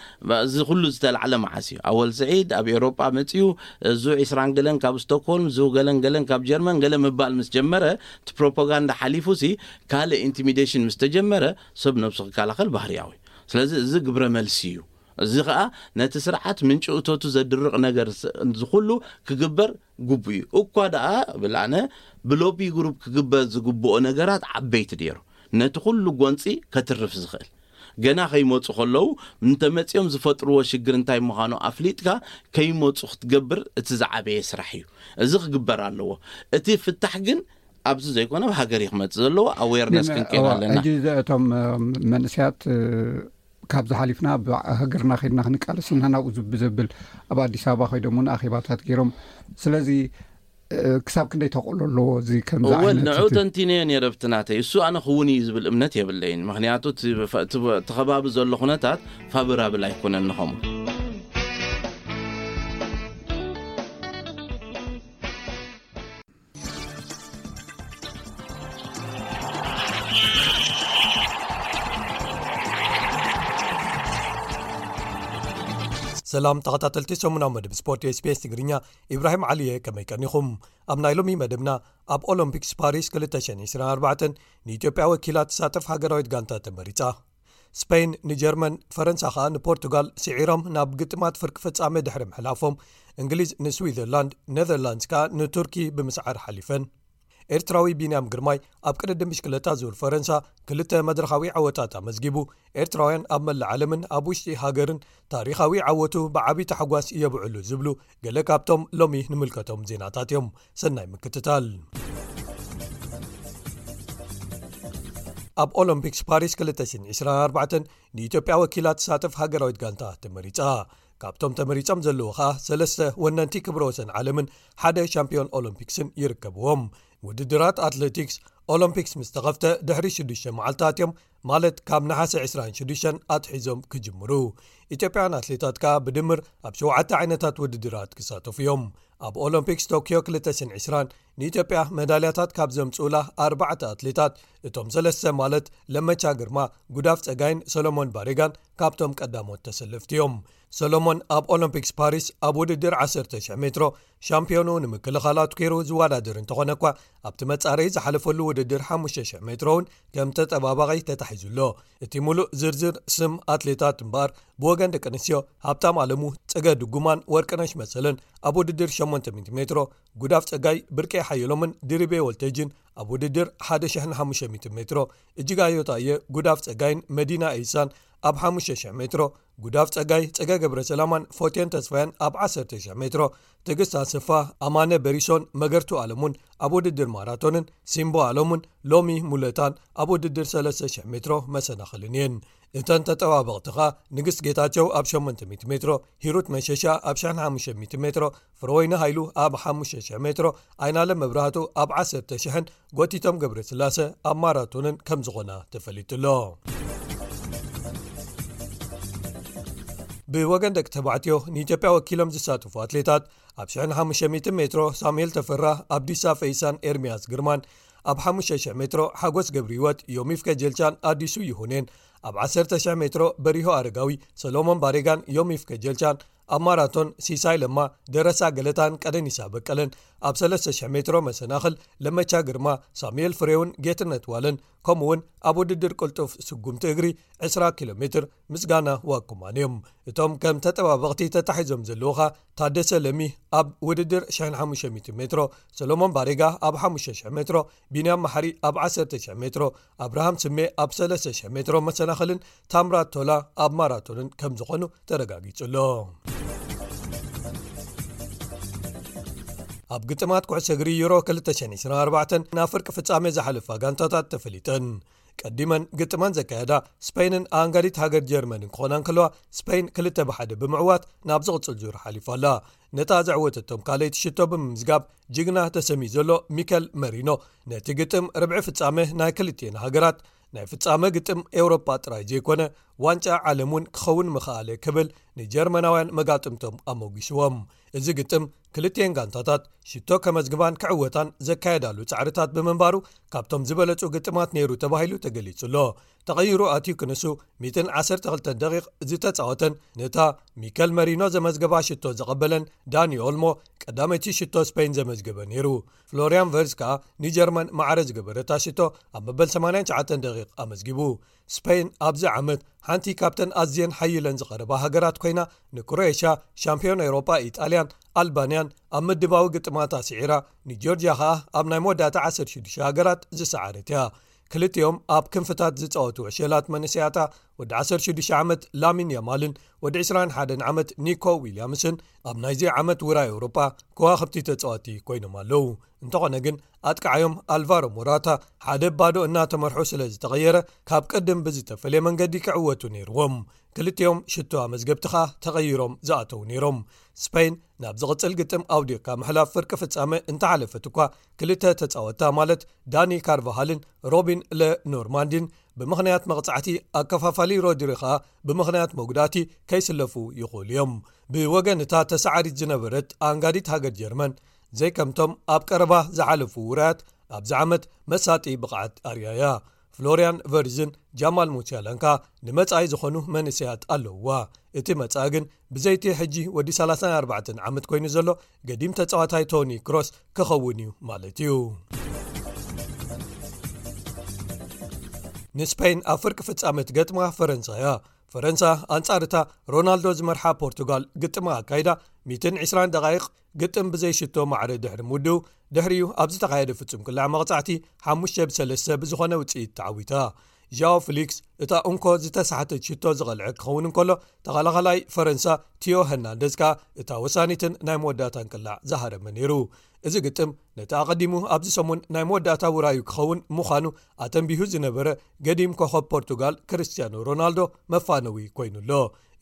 እዚ ኩሉ ዝተላዕለ መዓስ እዩ? ኣወል ስዒድ ኣብ ኤውሮጳ መጺኡ፣ እዙ ዒስራን ገለን ካብ ስቶክሆልም፣ እዙ ገለን ገለን ካብ ጀርመን ገለ ምባል ምስ ጀመረ፣ እቲ ፕሮፓጋንዳ ሓሊፉ ሲ ካልእ ኢንቲሚዴሽን ምስ ተጀመረ ሰብ ነብሱ ክከላኸል ባህርያዊ እዩ። ስለዚ እዚ ግብረ መልሲ እዩ። እዚ ኸኣ ነቲ ስርዓት ምንጪ እቶቱ ዘድርቕ ነገር ስ-፣ ዝኹሉ ክግበር ግቡእ እዩ። እኳ ደኣ ብላነ ብሎቢ ግሩፕ ክግበር ዝግብኦ ነገራት ዓበይቲ ነይሩ። ነቲ ኩሉ ጎንጺ ከትርፍ ዝኽእል። ገና ከይመጹ ከለዉ እንተመጺኦም ዝፈጥርዎ ሽግር እንታይ ምዃኑ ኣፍሊጥካ ከይመጹ ክትገብር እቲ ዝዓበየ ስራሕ እዩ። እዚ ክግበር ኣለዎ። እቲ ፍታሕ ግን ኣብዚ ዘይኮነ ኣብ ሃገር እዩ ክመጽእ ዘለዎ። ኣዌርነስ ግን ክንከይድ እዋ፣ ኣለና። ሕጂ እዚ እቶም፣ እ፣ መንእሰያት፣ እ፣ ካብዚ ሓሊፍና ኣብ ሃገርና ከይድና ክንቃለስ ኢና ናብኡ ዝብ-፣ ዘብል ኣብ ኣዲስ ኣበባ ከይዶም እውን ኣኼባታት ገይሮም። ስለዚ፣ እ፣ ክሳብ ክንደይ ተቕሎ ኣለዎ እዚ ከምዚ እወ፣ ዓይነት ንዑ እቲ ተንቲነዮ ነይረ ብቲ ናተይ። እሱ ኣነ ክውን እዩ ዝብል እምነት የብለይን። ምኽንያቱ እቲ ፈ-፣ እቲ በ-፣ እቲ ከባቢ ዘሎ ኩነታት ፋቮራብል ኣይኮነን ንኸምኡ። ሰላም ተኸታተልቲ ሰሙናዊ መደብ ስፖርት ኤስቢኤስ ትግርኛ፣ ኢብራሂም ዓሊየ፣ ከመይ ቀኒኹም? ኣብ ናይ ሎሚ መደብና፣ ኣብ ኦሎምፒክስ ፓሪስ ክልተ ሽሕን ዕስራን ኣርባዕተን ንኢትዮጵያ ወኪላ ትሳተፍ ሃገራዊት ጋንታ ተመሪጻ። ስፔን ንጀርመን፣ ፈረንሳ ከኣ ንፖርቱጋል ስዒሮም ናብ ግጥማት ፍርቂ ፍጻመ ድሕሪ ምሕላፎም፣ እንግሊዝ ንስዊዘርላንድ፣ ኔዘርላንድስ ከኣ ንቱርኪ ብምስዓር ሓሊፈን። ኤርትራዊ ቢንያም ግርማይ ኣብ ቅድድም ብሽክለታ ዙር ፈረንሳ ክልተ መድረኻዊ ዓወታት ኣመዝጊቡ፣ ኤርትራውያን ኣብ መላእ ዓለምን ኣብ ውሽጢ ሃገርን ታሪኻዊ ዓወቱ ብዓቢ ታሕጓስ የብዕሉ ዝብሉ ገለ ካብቶም ሎሚ ንምልከቶም ዜናታት እዮም። ሰናይ ምክትታል። ኣብ ኦሎምፒክስ ፓሪስ ክልተ ሽሕን ዕስራን ኣርባዕተን ንኢትዮጵያ ወኪላ ትሳተፍ ሃገራዊት ጋንታ ተመሪጻ። ካብቶም ተመሪጾም ዘለዉ ኸኣ ሰለስተ ወነንቲ ክብረ ወሰን ዓለምን ሓደ ሻምፒዮን ኦሎምፒክስን ይርከብዎም። ውድድራት ኣትሌቲክስ ኦሎምፒክስ ምስ ተኸፍተ ድሕሪ ሽዱሽተ መዓልታት እዮም፣ ማለት ካብ ነሓሰ ዕስራን ሽዱሽተን ኣትሒዞም ክጅምሩ። ኢትዮጵያውያን ኣትሌታት ከኣ ብድምር ኣብ ሸውዓተ ዓይነታት ውድድራት ክሳተፉ እዮም። ኣብ ኦሎምፒክስ ቶክዮ ክልተ ሽሕን ዕስራን ንኢትዮጵያ መዳልያታት ካብ ዘምጽኡላ ኣርባዕተ ኣትሌታት፣ እቶም ሰለስተ ማለት ለመቻ ግርማ፣ ጉዳፍ ጸጋይን ሰሎሞን ባሬጋን ካብቶም ቀዳሞት ተሰለፍቲ እዮም። ሰሎሞን ኣብ ኦሎምፒክስ ፓሪስ ኣብ ውድድር ዓሰርተ ሽሕ ሜትሮ ሻምፒዮኑ ንምክልኻል ኣትኪሩ ዝወዳደር እንተኾነ እኳ፣ ኣብቲ መጻረይ ዝሓለፈሉ ውድድር ሓሙሽተ ሽሕ ሜትሮ እውን ከም ተጠባባቒ ተታሒዙ ኣሎ። እቲ ሙሉእ ዝርዝር ስም ኣትሌታት እምበኣር፣ ብወገን ደቂ ኣንስትዮ ሃብታም ኣለሙ፣ ጽገ ድጉማን ወርቅነሽ መሰለን ኣብ ውድድር ሸሞንተ ሚእቲ ሜትሮ፣ ጉዳፍ ጸጋይ፣ ብርቄ ሓየሎምን ድሪቤ ወልተጅን ኣብ ውድድር ሓደ ሽሕን ሓሙሽተ ሚእቲ ሜትሮ፣ እጅጋዮ ታየ፣ ጉዳፍ ጸጋይን መዲና ኤይሳን ኣብ ሓሙሽተ ሽሕ ሜትሮ፣ ጉዳፍ ጸጋይ፣ ጸገ ገብረ ሰላማን ፎቴን ተስፋያን ኣብ ዓሰርተ ሽሕ ሜትሮ፣ ትዕግስት ኣሰፋ፣ ኣማነ በሪሶን መገርቱ ኣለሙን ኣብ ውድድር ማራቶንን ሲምቦ ኣለሙን ሎሚ ሙለታን ኣብ ውድድር ሰለስተ ሽሕ ሜትሮ መሰናኽልን እየን። እተን ተጠባበቕቲ ኸኣ ንግስት ጌታቸው ኣብ ሸሞንተ ሚእቲ ሜትሮ፣ ሂሩት መሸሻ ኣብ ሽሕን ሓሙሽተ ሚእቲ ሜትሮ፣ ፍረወይኒ ሃይሉ ኣብ ሓሙሽተ ሽሕ ሜትሮ፣ ኣይናለም መብራህቱ ኣብ ዓሰርተ ሽሕን ጎቲቶም ገብረስላሰ ኣብ ማራቶንን ከም ዝኾና ተፈሊጡ ኣሎ። ብወገን ደቂ ተባዕትዮ ንኢትዮጵያ ወኪሎም ዝሳተፉ ኣትሌታት ኣብ ሽሕን ሓሙሽተ ሚእቲ ሜትሮ ሳሙኤል ተፈራ፣ ኣብዲሳ ፈይሳን ኤርሚያስ ግርማን፣ ኣብ ሓሙሽተ ሽሕ ሜትሮ ሓጎስ ገብረህይወት፣ ዮሚፍ ከጀልቻን ኣዲሱ ይሁኔን፣ ኣብ ዓሰርተ ሽሕ ሜትሮ በሪሁ ኣረጋዊ፣ ሰሎሞን ባሬጋን ዮሚፍ ከጀልቻን፣ ኣብ ማራቶን ሲሳይ ለማ፣ ደረሳ ገለታን ቀደኒሳ በቀለን፣ ኣብ ሰለስተ ሽሕ ሜትሮ መሰናኽል ለመቻ ግርማ፣ ሳሙኤል ፍሬውን ጌትነት ዋለን፣ ከምኡውን ኣብ ውድድር ቅልጡፍ ስጉምቲ እግሪ ዕስራ ኪሎ ሜትር ምስጋና ዋኩማን እዮም። እቶም ከም ተጠባበቕቲ ተታሒዞም ዘለዉ ኸኣ ታደሰ ለሚ ኣብ ውድድር ሽሕን ሓሙሽተ ሚእትን ሜትሮ፣ ሰሎሞን ባሬጋ ኣብ ሓሙሽተ ሽሕ ሜትሮ፣ ቢንያም ማሕሪ ኣብ ዓሰርተ ሽሕ ሜትሮ፣ ኣብርሃም ስሜ ኣብ ሰለስተ ሽሕ ሜትሮ መሰናኽልን ታምራት ቶላ ኣብ ማራቶንን ከም ዝኾኑ ተረጋጊጹ ኣሎ። ኣብ ግጥማት ኩዕሶ እግሪ ዩሮ ክልተ ሽሕን ዕስራን ኣርባዕተን ናብ ፍርቂ ፍጻሜ ዝሓለፋ ጋንታታት ተፈሊጠን። ቀዲመን ግጥመን ዘካየዳ ስፔንን ኣንጋዲት ሃገር ጀርመንን ክኾና እንከለዋ፣ ስፔን ክልተ ብሓደ ብምዕዋት ናብ ዝቕጽል ዙር ሓሊፋ ኣላ። ነታ ዘዕወተቶም ካልኣይቲ ሽቶ ብምምዝጋብ ጅግና ተሰምዩ ዘሎ ሚከል መሪኖ፣ ነቲ ግጥም ርብዒ ፍጻመ ናይ ክልቲኤን ሃገራት፣ ናይ ፍጻመ ግጥም ኤውሮጳ ጥራይ ዘይኮነ ዋንጫ ዓለም እውን ክኸውን ምኽኣለ ክብል ንጀርመናውያን መጋጥምቶም ኣሞጊስዎም። እዚ ግጥም ክልቲኤን ጋንታታት ሽቶ ከመዝግባን ክዕወታን ዘካየዳሉ ጻዕርታት ብምንባሩ ካብቶም ዝበለጹ ግጥማት ነይሩ ተባሂሉ ተገሊጹ ኣሎ። ተቐይሩ ኣትዩ ክንሱ ሚእትን ዓሰርተ ክልተን ደቂቕ ዝተጻወተን ነታ ሚከል መሪኖ ዘመዝገባ ሽቶ ዘቐበለን ዳኒ ኦልሞ ቀዳመይቲ ሽቶ ስፔን ዘመዝገበ ነይሩ። ፍሎሪያን ቨርዝ ከኣ ንጀርመን ማዕረ ዝገበረታ ሽቶ ኣብ መበል ሰማንያን ትሽዓተን ደቂቕ ኣመዝጊቡ። ስፔን ኣብዚ ዓመት ሓንቲ ካብተን ኣዝየን ሓይለን ዝቐረባ ሃገራት ኮይና፣ ንክሮኤሽያ፣ ሻምፒዮን ኤውሮጳ ኢጣልያን ኣልባንያን ኣብ ምድባዊ ግጥማት ኣስዒራ፣ ንጆርጅያ ኸኣ ኣብ ናይ መወዳእታ ዓሰርተ ሽዱሽተ ሃገራት ዝሰዓረት እያ። ክልቲኦም ኣብ ክንፍታት ዝጻወቱ ዕሸላት መንእሰያታ፣ ወዲ ዓሰርተ ሽዱሽተ ዓመት ላሚን ያማልን ወዲ ዕስራን ሓደን ዓመት ኒኮ ዊልያምስን ኣብ ናይዚ ዓመት ውራይ ኤውሮጳ ከዋኽብቲ ተጻወቲ ኮይኖም ኣለዉ። እንተኾነ ግን ኣጥቃዓዮም ኣልቫሮ ሞራታ ሓደ ባዶ እናተመርሑ ስለ ዝተቐየረ፣ ካብ ቅድም ብዝተፈለየ መንገዲ ክዕወቱ ነይርዎም። ክልቲኦም ሽቶ ኣመዝገብቲ ኸኣ ተቐይሮም ዝኣተዉ ነይሮም። ስፔን ናብ ዝቕጽል ግጥም ኣውዲቕካ ምሕላፍ ፍርቂ ፍጻመ እንተሓለፈት እኳ፣ ክልተ ተጻወታ ማለት ዳኒ ካርቫሃልን ሮቢን ለ ኖርማንዲን ብምኽንያት መቕጻዕቲ፣ ኣከፋፋሊ ሮድሪ ኸኣ ብምኽንያት መጉዳእቲ ከይስለፉ ይኽእሉ እዮም። ብወገን እታ ተሰዓሪት ዝነበረት ኣንጋዲት ሃገር ጀርመን፣ ዘይከምቶም ኣብ ቀረባ ዝሓለፉ ውራያት ኣብዚ ዓመት መሳጢ ብቕዓት ኣርእያ እያ። ፍሎርያን ቨርዝን ጃማል ሙሲያላን ከኣ ንመጻኢ ዝኾኑ መንእሰያት ኣለውዋ። እቲ መጻኢ ግን ብዘይቲ ሕጂ ወዲ ሰላሳን ኣርባዕተን ዓመት ኮይኑ ዘሎ ገዲም ተጻዋታይ ቶኒ ክሮስ ክኸውን እዩ ማለት እዩ። ንስፔን ኣብ ፍርቂ ፍጻመ ትገጥማ ፈረንሳ እያ። ፈረንሳ ኣንጻር እታ ሮናልዶ ዝመርሓ ፖርቱጋል ግጥማ ኣካይዳ፣ ሚእትን ዕስራን ደቓይቕ ግጥም ብዘይ ሽቶ ማዕረ ድሕሪ ምውድኡ፣ ድሕሪኡ ኣብ ዝተኻየደ ፍጹም ቅላዕ መቕጻዕቲ ሓሙሽተ ብሰለስተ ብዝኾነ ውጽኢት ተዓዊታ። ዣኦ ፍሊክስ እታ እንኮ ዝተሳሕተት ሽቶ ዝቐልዐ ክኸውን እንከሎ፣ ተኸላኻላይ ፈረንሳ ቲዮ ሄርናንደዝ ከኣ እታ ወሳኒትን ናይ መወዳእታን ቅላዕ ዝሃረመ ነይሩ። እዚ ግጥም ነቲ ኣቐዲሙ ኣብዚ ሰሙን ናይ መወዳእታ ውራዩ ክኸውን ምዃኑ ኣተንቢሁ ዝነበረ ገዲም ኮኸብ ፖርቱጋል ክርስቲያኖ ሮናልዶ መፋነዊ ኮይኑ ኣሎ።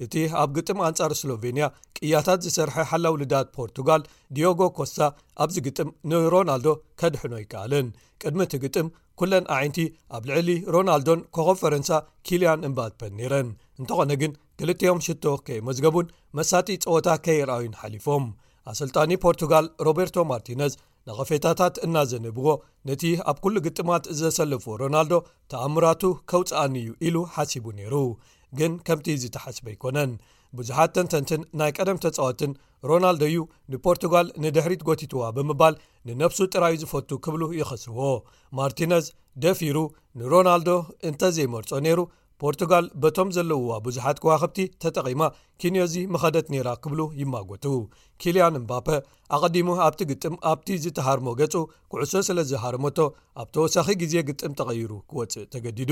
እቲ ኣብ ግጥም ኣንጻር ስሎቬንያ ቅያታት ዝሰርሐ ሓላው ልዳት ፖርቱጋል ዲዮጎ ኮስታ ኣብዚ ግጥም ንሮናልዶ ከድሕኖ ኣይከኣለን። ቅድሚ እቲ ግጥም ኩለን ኣዒንቲ ኣብ ልዕሊ ሮናልዶን ኮኸብ ፈረንሳ ኪልያን እምባፔን ነይረን። እንተኾነ ግን ክልቲኦም ሽቶ ከየመዝገቡን መሳጢ ጸወታ ከየርኣዩን ሓሊፎም። ኣሰልጣኒ ፖርቱጋል ሮቤርቶ ማርቲነዝ ነቐፌታታት እናዘነብዎ፣ ነቲ ኣብ ኩሉ ግጥማት ዘሰለፎ ሮናልዶ ተኣምራቱ ከውጽኣኒ እዩ ኢሉ ሓሲቡ ነይሩ። ግን ከምቲ ዝተሓስበ ኣይኮነን። ብዙሓት ተንተንትን ናይ ቀደም ተጻወትን ሮናልዶ እዩ ንፖርቱጋል ንድሕሪት ጎቲትዋ ብምባል ንነብሱ ጥራዩ ዝፈቱ ክብሉ ይኸስዎ። ማርቲነዝ ደፊሩ ንሮናልዶ እንተዘይመርጾ ነይሩ፣ ፖርቱጋል በቶም ዘለውዋ ብዙሓት ከዋኽብቲ ተጠቒማ ኪንዮዚ ምኸደት ነይራ ክብሉ ይማጎቱ። ኪልያን እምባፐ ኣቐዲሙ ኣብቲ ግጥም ኣብቲ ዝተሃርሞ ገጹ ኩዕሶ ስለ ዝሃረመቶ ኣብ ተወሳኺ ግዜ ግጥም ተቐይሩ ክወጽእ ተገዲዱ።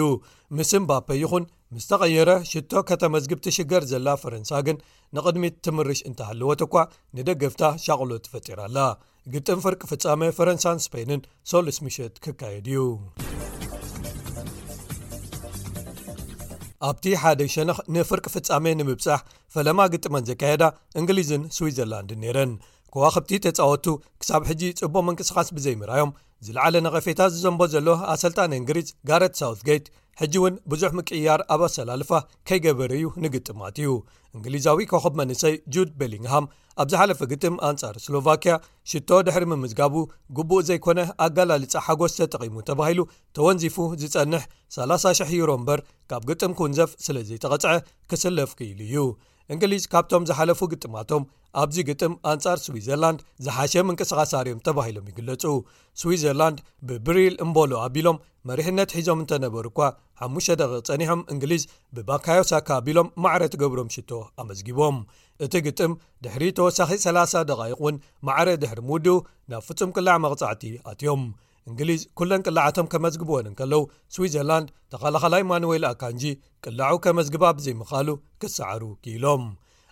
ምስ እምባፐ ይኹን ምስ ተቐየረ ሽቶ ከተመዝግብ ትሽገር ዘላ ፈረንሳ ግን ንቕድሚት ትምርሽ እንተሃለወት እኳ ንደገፍታ ሻቕሎት ፈጢራ ኣላ። ግጥም ፍርቂ ፍጻመ ፈረንሳን ስፔንን ሰሉስ ምሸት ክካየድ እዩ። ኣብቲ ሓደ ሸነኽ ንፍርቂ ፍጻመ ንምብጻሕ ፈለማ ግጥመን ዘካየዳ እንግሊዝን ስዊዘርላንድን ነይረን። ከዋኽብቲ ተጻወቱ ክሳብ ሕጂ ጽቡቕ ምንቅስቓስ ብዘይምርኣዮም ዝለዓለ ነቐፌታ ዝዘንቦ ዘሎ ኣሰልጣኒ እንግሊዝ ጋረት ሳውትጌት፣ ሕጂ እውን ብዙሕ ምቅይያር ኣብ ኣሰላልፋ ከይገበረ እዩ ንግጥማት እዩ። እንግሊዛዊ ኮኸብ መንእሰይ ጁድ ቤሊንግሃም ኣብ ዝሓለፈ ግጥም ኣንጻር ስሎቫኪያ ሽቶ ድሕሪ ምምዝጋቡ ግቡእ ዘይኮነ ኣገላልጻ ሓጎስ ተጠቒሙ ተባሂሉ ተወንዚፉ ዝጸንሕ ሰላሳ ሽሕ ዩሮ እምበር ካብ ግጥም ክውንዘፍ ስለ ዘይተቐጽዐ ክስለፍ ክኢሉ እዩ። እንግሊዝ ካብቶም ዝሓለፉ ግጥማቶም ኣብዚ ግጥም ኣንጻር ስዊዘርላንድ ዝሓሸ ምንቅስቓስ ኣርዮም ተባሂሎም ይግለጹ። ስዊዘርላንድ ብብሪል እምቦሎ ኣቢሎም መሪሕነት ሒዞም እንተነበሩ እኳ፣ ሓሙሽተ ደቂቕ ጸኒሖም እንግሊዝ ብባካዮ ሳካ ኣቢሎም ማዕረ ትገብሮም ሽቶ ኣመዝጊቦም። እቲ ግጥም ድሕሪ ተወሳኺ ሰላሳ ደቓይቕ እውን ማዕረ ድሕሪ ምውድኡ ናብ ፍጹም ቅላዕ መቕጻዕቲ ኣትዮም። እንግሊዝ ኩለን ቅላዓቶም ከመዝግብወን እንከለዉ፣ ስዊዘርላንድ ተኸላኸላይ ማኑዌል ኣካንጂ ቅላዑ ከመዝግባ ብዘይምኽኣሉ ክሰዓሩ ክኢሎም።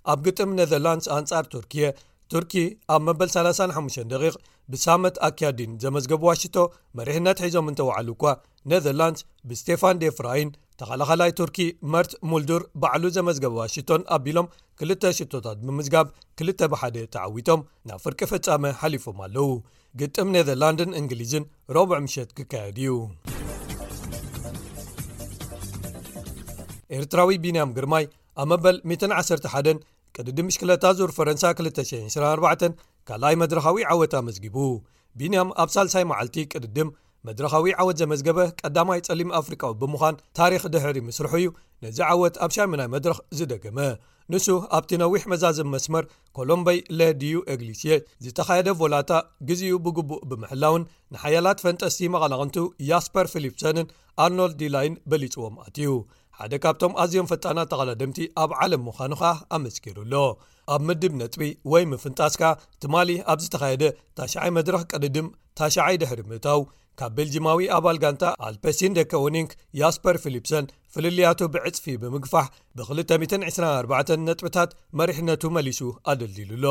ኣብ ግጥም ኔዘርላንድስ ኣንጻር ቱርኪየ፣ ቱርኪ ኣብ መበል ሰላሳን ሓሙሽተን ደቂቕ ብሳመት ኣኪያዲን ዘመዝገብዋ ሽቶ መሪሕነት ሒዞም እንተወዓሉ እኳ፣ ኔዘርላንድስ ብስቴፋን ዴፍራይን ተኸላኸላይ ቱርኪ መርት ሙልዱር ባዕሉ ዘመዝገበዋ ሽቶን ኣቢሎም ክልተ ሽቶታት ብምዝጋብ ክልተ ብሓደ ተዓዊቶም ናብ ፍርቂ ፍጻመ ሓሊፎም ኣለዉ። ግጥም ኔዘርላንድን እንግሊዝን ረቡዕ ምሸት ክካየድ እዩ። ኤርትራዊ ቢንያም ግርማይ ኣብ መበል ሚእትን ዓሰርተ ሓደን ቅድድም ብሽክለታ ዙር ፈረንሳ ክልተ ሽሕን ዕስራን ኣርባዕተን ካልኣይ መድረኻዊ ዓወት ኣመዝጊቡ። ቢንያም ኣብ ሳልሳይ መዓልቲ ቅድድም መድረኻዊ ዓወት ዘመዝገበ ቀዳማይ ጸሊም ኣፍሪቃዊ ብምዃን ታሪኽ ድሕሪ ምስርሑ እዩ ነዚ ዓወት ኣብ ሻምናይ መድረኽ ዝደገመ። ንሱ ኣብቲ ነዊሕ መዛዘም መስመር ኮሎምበይ ለዲዩ ኤግሊሲየ ዝተኻየደ ቮላታ ግዜኡ ብግቡእ ብምሕላውን ንሓያላት ፈንጠስቲ መቐናቕንቱ ያስፐር ፊሊፕሰንን ኣርኖልድ ዲላይን በሊጽዎም ኣትዩ። ሓደ ካብቶም ኣዝዮም ፈጣናት ተቐዳደምቲ ኣብ ዓለም ምዃኑ ኸኣ ኣመስኪሩ ኣሎ። ኣብ ምድብ ነጥቢ ወይ ምፍንጣስካ ትማሊ ኣብ ዝተኻየደ ታሽዓይ መድረኽ ቅድድም ታሽዓይ ድሕሪ ምእታው፣ ካብ ቤልጂማዊ ኣባል ጋንታ ኣልፐሲን ደከ ኦኒንክ ያስፐር ፊሊፕሰን ፍልልያቱ ብዕጽፊ ብምግፋሕ ብ ክልተ ሚእትን ዕስራን ኣርባዕተን ነጥብታት መሪሕነቱ መሊሱ ኣደልዲሉ ኣሎ።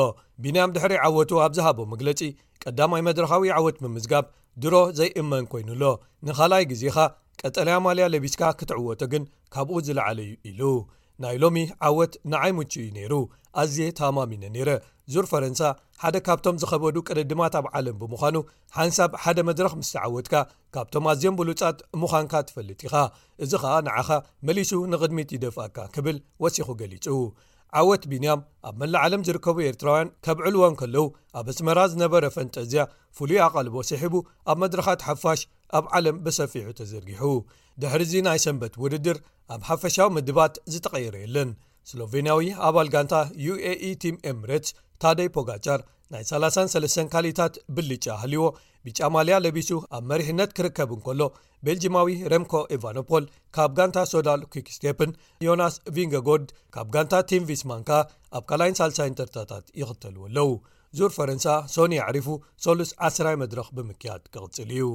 ቢንያም ድሕሪ ዓወቱ ኣብ ዝሃቦ መግለጺ፣ ቀዳማይ መድረኻዊ ዓወት ምምዝጋብ ድሮ ዘይእመን ኮይኑ ኣሎ። ንኻልኣይ ግዜኻ ቀጠልያ ማልያ ለቢስካ ክትዕወቶ ግን ካብኡ ዝለዓለ እዩ ኢሉ። ናይ ሎሚ ዓወት ንዓይ ምቹ እዩ ነይሩ። ኣዝየ ተኣማሚነ ነይረ። ዙር ፈረንሳ ሓደ ካብቶም ዝኸበዱ ቅድድማት ኣብ ዓለም ብምዃኑ፣ ሓንሳብ ሓደ መድረኽ ምስ ተዓወትካ ካብቶም ኣዝዮም ብሉጻት ምዃንካ ትፈልጥ ኢኻ። እዚ ኸኣ ንዓኻ መሊሱ ንቕድሚት ይደፍኣካ ክብል ወሲኹ ገሊጹ። ዓወት ቢንያም ኣብ መላእ ዓለም ዝርከቡ ኤርትራውያን ከብዕልዎ እንከለዉ፣ ኣብ ኣስመራ ዝነበረ ፈንጠዝያ ፍሉይ ኣቓልቦ ስሒቡ ኣብ መድረኻት ሓፋሽ ኣብ ዓለም ብሰፊሑ ተዘርጊሑ። ድሕሪ እዚ ናይ ሰንበት ውድድር ኣብ ሓፈሻዊ ምድባት ዝተቐየረ የለን። ስሎቬንያዊ ኣባል ጋንታ ዩ ኤ ኢ ቲም ኤምሬትስ ታደይ ፖጋቻር ናይ ሰላሳን ሰለስተን ካልኢታት ብልጫ ሃልይዎ ብጫ ማልያ ለቢሱ ኣብ መሪሕነት ክርከብ እንከሎ፣ ቤልጂማዊ ረምኮ ኤቫኖፖል ካብ ጋንታ ሶዳል ኲክስቴፕን ዮናስ ቪንገጎርድ ካብ ጋንታ ቲም ቪስማን ከኣ ኣብ ካልኣይን ሳልሳይን ተርታታት ይኽተልዎ ኣለዉ። ዙር ፈረንሳ ሶኒ ኣዕሪፉ ሰሉስ ዓስራይ መድረኽ ብምክያድ ክቕጽል እዩ።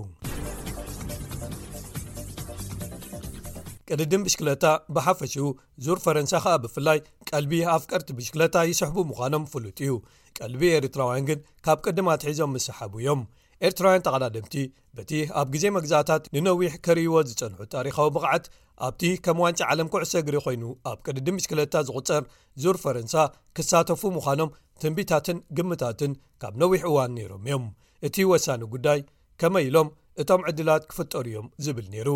ቅድድም ብሽክለታ ብሓፈሽኡ፣ ዙር ፈረንሳ ኸኣ ብፍላይ ቀልቢ ኣፍቀርቲ ብሽክለታ ይስሕቡ ምዃኖም ፍሉጥ እዩ። ቀልቢ ኤርትራውያን ግን ካብ ቅድም ኣትሒዞም ምስሓቡ እዮም። ኤርትራውያን ተቐዳደምቲ በቲ ኣብ ግዜ መግዛእታት ንነዊሕ ከርእይዎ ዝጸንሑ ታሪኻዊ ብቕዓት ኣብቲ ከም ዋንጫ ዓለም ኩዕሶ እግሪ ኮይኑ ኣብ ቅድድም ብሽክለታ ዝቑጸር ዙር ፈረንሳ ክሳተፉ ምዃኖም ትንቢታትን ግምታትን ካብ ነዊሕ እዋን ነይሮም እዮም። እቲ ወሳኒ ጉዳይ ከመይ ኢሎም እቶም ዕድላት ክፍጠሩ እዮም ዝብል ነይሩ።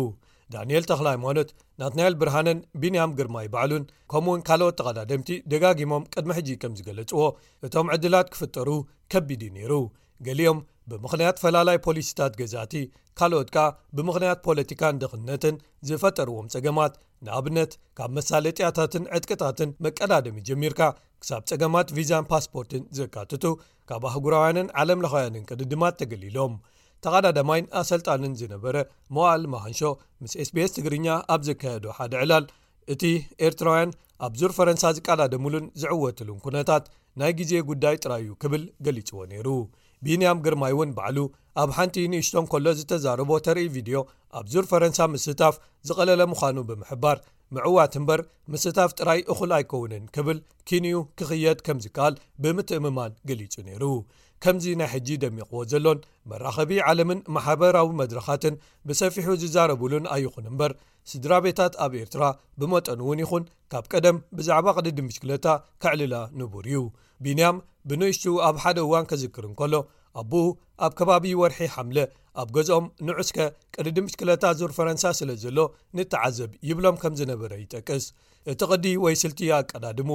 ዳንኤል ተኽለ ሃይማኖት፣ ናትናኤል ብርሃነን ቢንያም ግርማይ ባዕሉን ከምኡውን ካልኦት ተቐዳደምቲ ደጋጊሞም ቅድሚ ሕጂ ከም ዝገለጽዎ፣ እቶም ዕድላት ክፍጠሩ ከቢድ እዩ ነይሩ። ገሊኦም ብምኽንያት ፈላላይ ፖሊሲታት ገዛእቲ፣ ካልኦት ከኣ ብምኽንያት ፖለቲካን ድኽነትን ዝፈጠርዎም ጸገማት፣ ንኣብነት ካብ መሳለጥያታትን ዕጥቅታትን መቀዳደሚ ጀሚርካ ክሳብ ጸገማት ቪዛን ፓስፖርትን ዘካትቱ፣ ካብ ኣህጉራውያንን ዓለምለኻውያንን ቅድድማት ተገሊሎም። ተቐዳዳማይን ኣሰልጣንን ዝነበረ መዋእል መሃንሾ ምስ ኤስ ቢ ኤስ ትግርኛ ኣብ ዘካየዶ ሓደ ዕላል፣ እቲ ኤርትራውያን ኣብ ዙር ፈረንሳ ዝቀዳደሙሉን ዝዕወትሉን ኩነታት ናይ ግዜ ጉዳይ ጥራይ እዩ ክብል ገሊጽዎ ነይሩ። ቢንያም ግርማይ እውን ባዕሉ ኣብ ሓንቲ ንእሽቶ እንከሎ ዝተዛረቦ ተርኢ ቪድዮ፣ ኣብ ዙር ፈረንሳ ምስታፍ ዝቐለለ ምዃኑ ብምሕባር፣ ምዕዋት እምበር ምስታፍ ጥራይ እኹል ኣይከውንን ክብል፣ ኪንኡ ክኽየድ ከም ዝከኣል ብምትእምማን ገሊጹ ነይሩ። ከምዚ ናይ ሕጂ ደሚቕዎ ዘሎን መራኸቢ ዓለምን ማሕበራዊ መድረኻትን ብሰፊሑ ዝዛረቡሉን ኣይኹን እምበር፣ ስድራ ቤታት ኣብ ኤርትራ ብመጠኑ እውን ይኹን ካብ ቀደም ብዛዕባ ቅድድም ብሽክለታ ከዕልላ ንቡር እዩ። ቢንያም ብንእሽቱ ኣብ ሓደ እዋን ከዝክር እንከሎ፣ ኣቦኡ ኣብ ከባቢ ወርሒ ሓምለ ኣብ ገዝኦም ንዑስከ ቅድድም ብሽክለታ ዙር ፈረንሳ ስለ ዘሎ ንተዓዘብ ይብሎም ከም ዝነበረ ይጠቅስ። እቲ ቅዲ ወይ ስልቲ ኣቀዳድሙ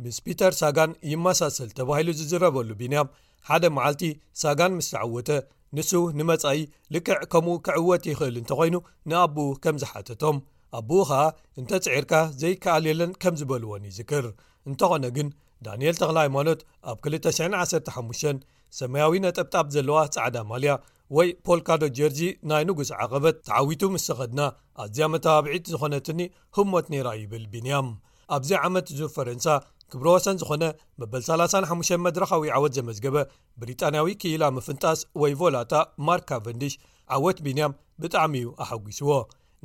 ምስ ፒተር ሳጋን ይመሳሰል ተባሂሉ ዝዝረበሉ ቢንያም፣ ሓደ መዓልቲ ሳጋን ምስ ተዓወተ፣ ንሱ ንመጻኢ ልክዕ ከምኡ ክዕወት ይኽእል እንተኾይኑ ንኣቦኡ ከም ዝሓተቶም፣ ኣቦኡ ኸኣ እንተ ጽዒርካ ዘይከኣል የለን ከም ዝበልዎን ይዝክር። እንተኾነ ግን ዳንኤል ተኽለ ሃይማኖት ኣብ ክልተ ሽሕን ዓሰርተ ሓሙሽተን ሰማያዊ ነጠብጣብ ዘለዋ ጻዕዳ ማልያ ወይ ፖልካዶ ጀርዚ ናይ ንጉስ ዓቐበት ተዓዊቱ ምስ ተኸድና ኣዝያ መተባብዒት ዝኾነትኒ ህሞት ነይራ ይብል ቢንያም። ኣብዚ ዓመት ዙር ፈረንሳ ክብረ ወሰን ዝኾነ መበል ሰላሳን ሓሙሽተን መድረኻዊ ዓወት ዘመዝገበ ብሪጣንያዊ ክኢላ ምፍንጣስ ወይ ቮላታ ማርክ ካቨንዲሽ ዓወት ቢንያም ብጣዕሚ እዩ ኣሐጒስዎ።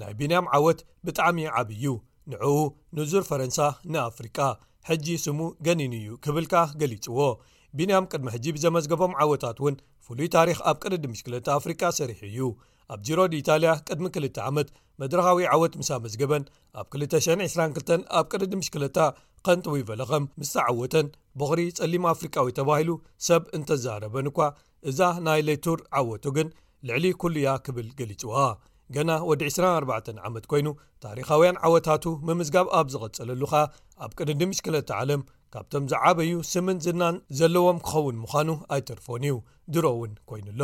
ናይ ቢንያም ዓወት ብጣዕሚ ዓብዪ እዩ። ንዕኡ ንዙር ፈረንሳ ንኣፍሪቃ ሕጂ ስሙ ገኒኑ እዩ ክብል ከኣ ገሊጽዎ። ቢንያም ቅድሚ ሕጂ ብዘመዝገቦም ዓወታት እውን ፍሉይ ታሪኽ ኣብ ቅድድም ብሽክለታ ኣፍሪቃ ሰሪሑ እዩ። ኣብ ጂሮ ዲኢታልያ ቅድሚ ክልተ ዓመት መድረኻዊ ዓወት ምስ ኣመዝገበን ኣብ ክልተ ሽሕን ዕስራን ክልተን ኣብ ቅድድም ብሽክለታ ከንት ዊቨለኸም ምስ ተዓወተን ቦኽሪ ጸሊም ኣፍሪቃዊ ተባሂሉ ሰብ እንተዛረበን እኳ እዛ ናይ ሌቱር ዓወቱ ግን ልዕሊ ኩሉ እያ ክብል ገሊጽዋ። ገና ወዲ ዕስራን ኣርባዕተን ዓመት ኮይኑ ታሪኻውያን ዓወታቱ ምምዝጋብ ኣብ ዝቐጸለሉ ኸኣ ኣብ ቅድድም ብሽክለታ ዓለም ካብቶም ዝዓበዩ ስምን ዝናን ዘለዎም ክኸውን ምዃኑ ኣይተርፎን እዩ። ድሮ እውን ኮይኑ ኣሎ።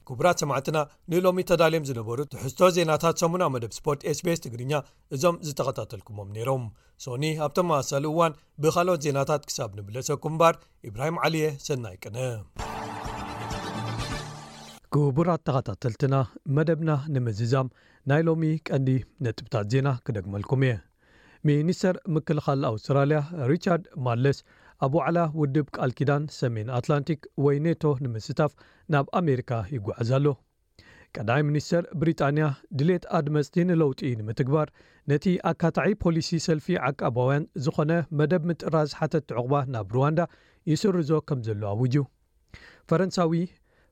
ክቡራት ሰማዕትና ንሎሚ ተዳልዮም ዝነበሩ ትሕዝቶ ዜናታት ሰሙና መደብ ስፖርት ኤስቢኤስ ትግርኛ እዞም ዝተኸታተልኩሞም ነይሮም። ሶኒ ኣብ ተመሳሳሊ እዋን ብኻልኦት ዜናታት ክሳብ ንብለሰኩም እምበር ኢብራሂም ዓሊየ ሰናይ ቅነ። ክቡራት ተኸታተልትና መደብና ንምዝዛም ናይ ሎሚ ቀንዲ ነጥብታት ዜና ክደግመልኩም እየ። ሚኒስተር ምክልኻል ኣውስትራልያ ሪቻርድ ማለስ ኣብ ዋዕላ ውድብ ቃል ኪዳን ሰሜን ኣትላንቲክ ወይ ኔቶ ንምስታፍ ናብ ኣሜሪካ ይጓዓዝ ኣሎ። ቀዳማይ ሚኒስተር ብሪጣንያ ድሌት ኣድመፅቲ ንለውጢ ንምትግባር ነቲ ኣካታዒ ፖሊሲ ሰልፊ ዓቃባውያን ዝኾነ መደብ ምጥራዝ ሓተት ዕቑባ ናብ ሩዋንዳ ይስርዞ ከም ዘሎ ኣውጁ። ፈረንሳዊ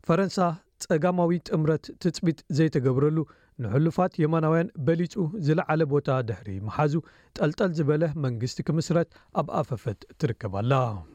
ፈረንሳ ጸጋማዊ ጥምረት ትጽቢት ዘይተገብረሉ ንሕሉፋት የማናውያን በሊጹ ዝለዓለ ቦታ ድሕሪ ምሓዙ ጠልጠል ዝበለ መንግስቲ ክምስረት ኣብ ኣፈፈት ትርከብ ኣላ።